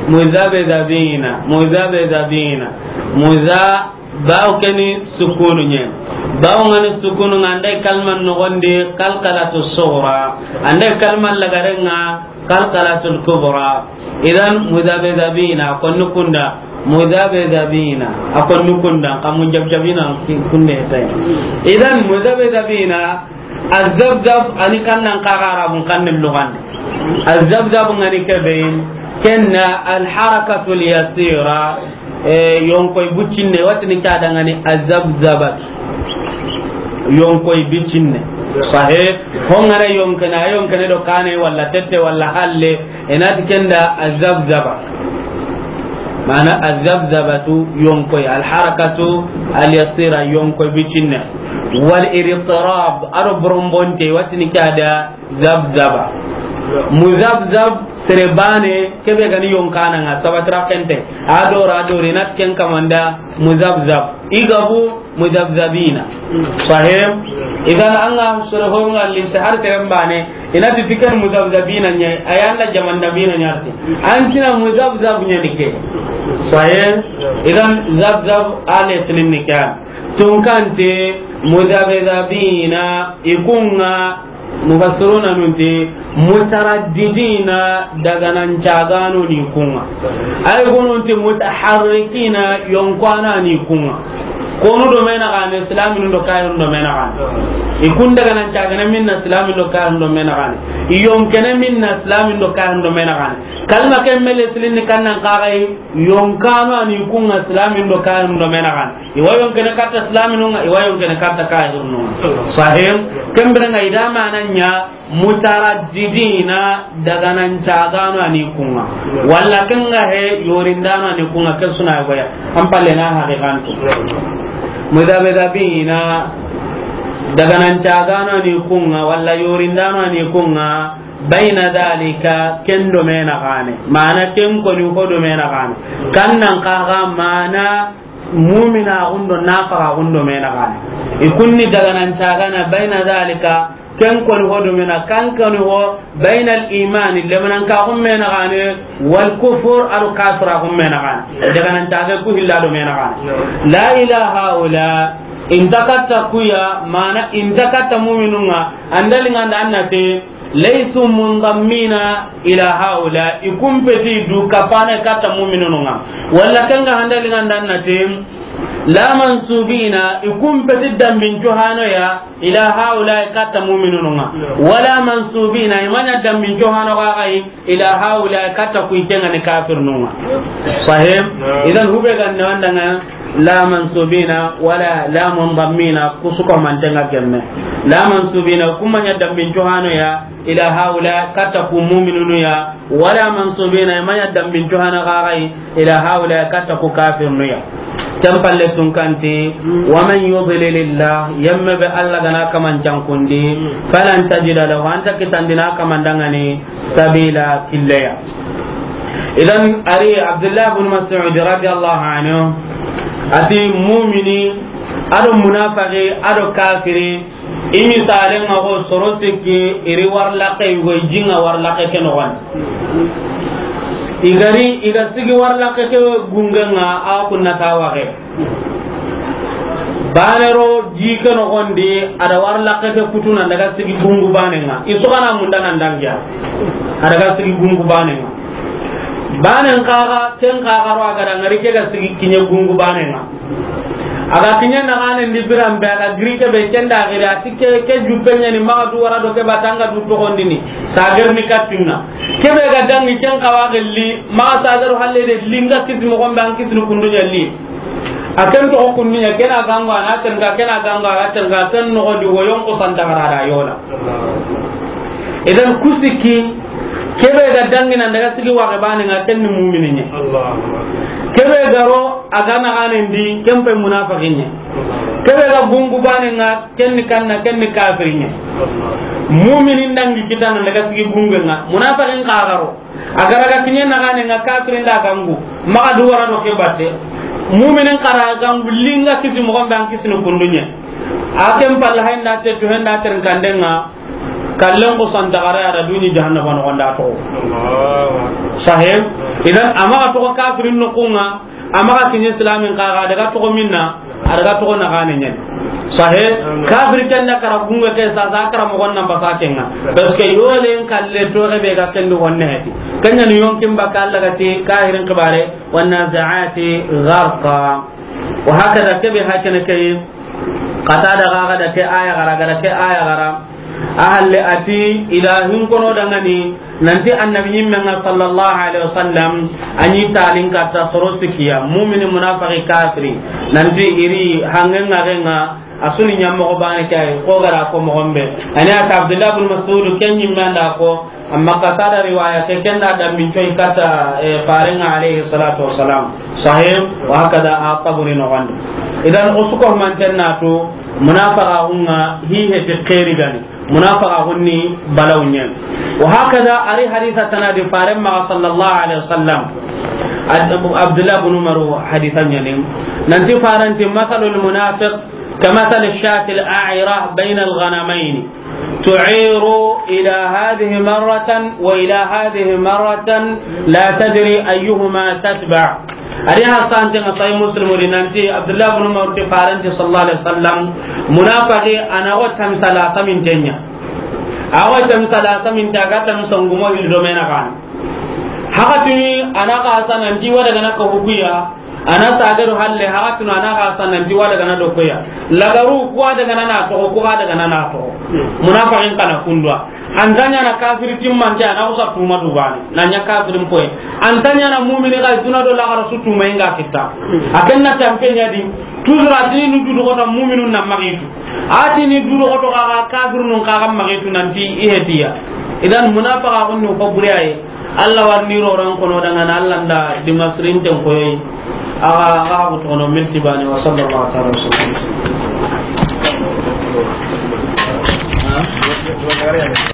Muzabzabina, muzabzabina. Muza Bawo keni sukunu nye. Bawo ngani sukunu nga ande kalman nogondi kalkalatu sughra. Ande kalman lagarenga Qalqalatul kubra. Idan muzabzabina, a konni kunda. Muzabzabina, a konni kunda. Xa muzabzabina ki-, kunde tay. Idan muzabzabina, azabzab a ni kannan xaxa Arabun xannen luxande. Azabzab ŋa ni kebe, ken na alharakatul yasira. Eh, yonkoy buccinne, watini ke a da ŋa ni azabzabat. Yonkoy buccinne. Sahe, ho ŋa na yonkene, a yonkene do kane, walla tette, walla halle, i na ti ken da azabzaba. Mana azabzabatu, yonkoy, alharakatu alyasira, yonkoy buccinne. Wal idtirab, a do borombonte, watini ke a da zabzaba. Muzabzab, sere bane, kebe ga ni yonkana ŋa, sabatira kente. A dora, a dori, i na ti ken kamanda, muzabzab. I ga bu, muzabzabina. Sahih? Idan an ga soro ho ŋa li se har sere bane, i na ti ken muzabzabina ɲa, a ya nda jamandabina ɲa ti. An ti na muzabzab ɲa ni ke. Sahih? Idan zabzab ale sinin ni kan. Tunkante, muzabzabina, i ku ŋa, mufassiruna nun ti, mutaraddidina, daganan cagano ni ku ŋa. Ay gunun ti, mutaharrikina, yonkana ni ku ŋa. Konu do me na gane, islamin do kayirun do me na gane. I kun daganan cagana minna, islamin do kayirun do me na gane. I yonkene minna, islamin do kayirun do me na gane. Kalma ke mele silin ni kannan xaxay, yonkano a ni ku ŋa, islamin do kayirun do me na gane. I wa yonkene katta islaminun ŋa, i wa yonkene katta kayirun ŋa. Sahih? Ken bire ŋa i da mana ɲa mutaraddidina, daganan cagano a ni ku ŋa. Walla ken ga he yorindano a ni ku ŋa, ke suna goya. An palle na haqiqantu. Mudabdabina, daganan cagano a ni ku ŋa, walla yorindano a ni ku ŋa. Bayna dalika, ken do me na gane. Mana ken koni ho do me na gane. Kannan xaxa mana mumina gundo, nafaqa gundo me na gane. I kunni daganan cagana bayna dalika, ken koni ho do me na, kan koni ho bayna al iman, lemanan ka gum me na gane, wal kufur, a do kasra gum me na gane. Daganan caga ku hilla do me na gane. La ilaha ula, inta katta kuya, mana inta katta muminun ŋa, andali ŋa nda annate, laysu mundammina ila haula, i kumpeti du kapana katta muminun ŋa. Walla ken ga handali ŋa nda annate, la mansubina, i kumpeti dambin cuhano ya, ila haula katta muminun ŋa. Wala mansubina, i ma ɲa dambin cuhano ga gai, ila haula katta ku ite ŋa ni kafirun ŋa. Sahih? Idan hube ga ne wanda ŋa, la mansubina wala la mundammina, ku su ko manten ŋa gemme. La mansubina, ku ma ɲa dambin cuhano ya, ila haula, katta ku muminunu ya, wala mansubina, i ma ɲa dambin cuhano ga gai, ila haula, katta ku kafirunu ya. Ken palle tunkanti, wa man yudlilillah, yemme be Alla ga na kaman cankundi, falan tajida lahu, anta kitandina kaman dangani, sabila, killeya. Idan, ari Abdullah bin Mas'ud radiyallahu anhu, ati mumini, a do munafaqi, a do kafiri, i misalen ŋa ko soro sikki, i ri warlaqe, i go i jinga warlaqe ke noxon. I gari, i ga sigi warlaqe ke gungen ŋa, a kunna ta waxe. Bane ro ji ke noxon di, a da warlaqe ke kutuna daga sigi gungu banen ŋa. I sogana munda nan dangiya. A daga sigi gungu banen ŋa. Banen xaxa, ken xaxa ro a ga da ŋari ke ga sigi kiɲe gungu banen ŋa. A ga kiɲe naxanen di biran be, a ga giri ke be ken da giri, a ti ke, ke juppe ɲa ni maxa du wara do ke ba tanga du toxondini. Sa gerni kattinna. Ke be ga dangi ken xawa gelli, maxa sa garu halle de linga kisi moxon be an kisini kundu ɲa li. A ken toxo kunduɲa, ken a gango, a na tenka, ken a gango, a na tenka, ken noxo di wo yonko santa xara da yola. Idan ku sikki, ke be ga dangina daga sigi waxe bane ŋa, ken ni mumini ɲa. Ke be ga ro, a ga naxanen di, ken pe munafaqi ɲa. Ke be ga gungu bane ŋa, ken ni kanna, ken ni kafiri ɲa. Mumini ndangi kitana daga sigi gungu ŋa, munafaqin xa ga ro. A ga ra ga kiɲe naxanen ŋa, kafirin da gangu, maxa du wara do ke batte. Muminin xa ra gangu, linga kisi moxon be an kisini kunduɲe. A ken palla hay nda te tu hen da ter kanden ŋa, kallen ko santa xara ya da duɲi jahannaba noxon da toxo. Sahib, idan a maxa toxo kafirin noxun ŋa, a maxa kiɲe islamin xa ga daga toxo minna, a daga toxo naxanen ɲa ni. Sahe, kafiri ken da kara gunga ke sa, sa kara mogon nan basa kenga. Parce que yolen kalle to be ga ken do wonne heti. Kenya ni yonkin baka Allah ga ti kahirin kibare, wan nazi'ati gharqa. Wa hakada kebe hakene kay. Qatada ga ga da ke aya gara, ga da ke aya gara. Ahalle ati ilahin kono dangani, nanti annabi nyimme nga sallallahu alaihi wasallam, anyi talin katta soro sikiya, mumini, munafiki, kafiri, nanti iri hangen nga genga, asuni nyammo ko bane kay, ko gara ko mo gombe. Ani ata Abdullah bin Mas'ud ken nyimme anda ko, amma Qatada riwaya ke ken da dambin coy katta, eh, farenga alaihi salatu wassalam. Sahih, wa hakada a taburi no wandi. Idan usuko manten natu, munafika hunga hi heti khairi gani. Munafika hunni balaw nyen. Wa hakada ari haditha tanadi faren ma sallallahu alaihi wasallam. Ad-, Abdullah bin Umar haditha nyanim. Nanti faranti, "Masalul munafiq kamasali shatil a'ira bainal ghanamaini. Tu'iru ila hadhihi marratan wa ila hadhihi marratan la tadri ayyuhuma tatba." Ari ha sante nga Sahih Muslim ri nanti Abdullah bin Umar ti faranti sallallahu alaihi wasallam, munafiki ana wa tamsala samintenya. Awa tamsala saminta ga tam songumo hil do mena kan. Hakatuni ana ka sanan ti wada gana ka hukuya, ana sagaru halle hakatuna ana ka sanan ti wada gana do koya. Lagaru kuwa daga na to, kuwa daga na to. Munafikin kana kundwa. Antanya na kafiri timmante ana usa tuma dubani. Nanya kafirin poy. Antanya na mu'mini ga duna do lagara su tuma inga kita. Aken na tampe nyadi. Tuzura tini nu dudu kota mu'minun na magitu. Atini dudu koto kaga kafirun kaga magitu nanti ihetiya. Idan munafika kunnu ko buriyaye. Allah warni roran kono dangana Allah nda dimasrin ten koyi. Aga, aga ko tono minti bani wa sallallahu ta'ala wa sallam.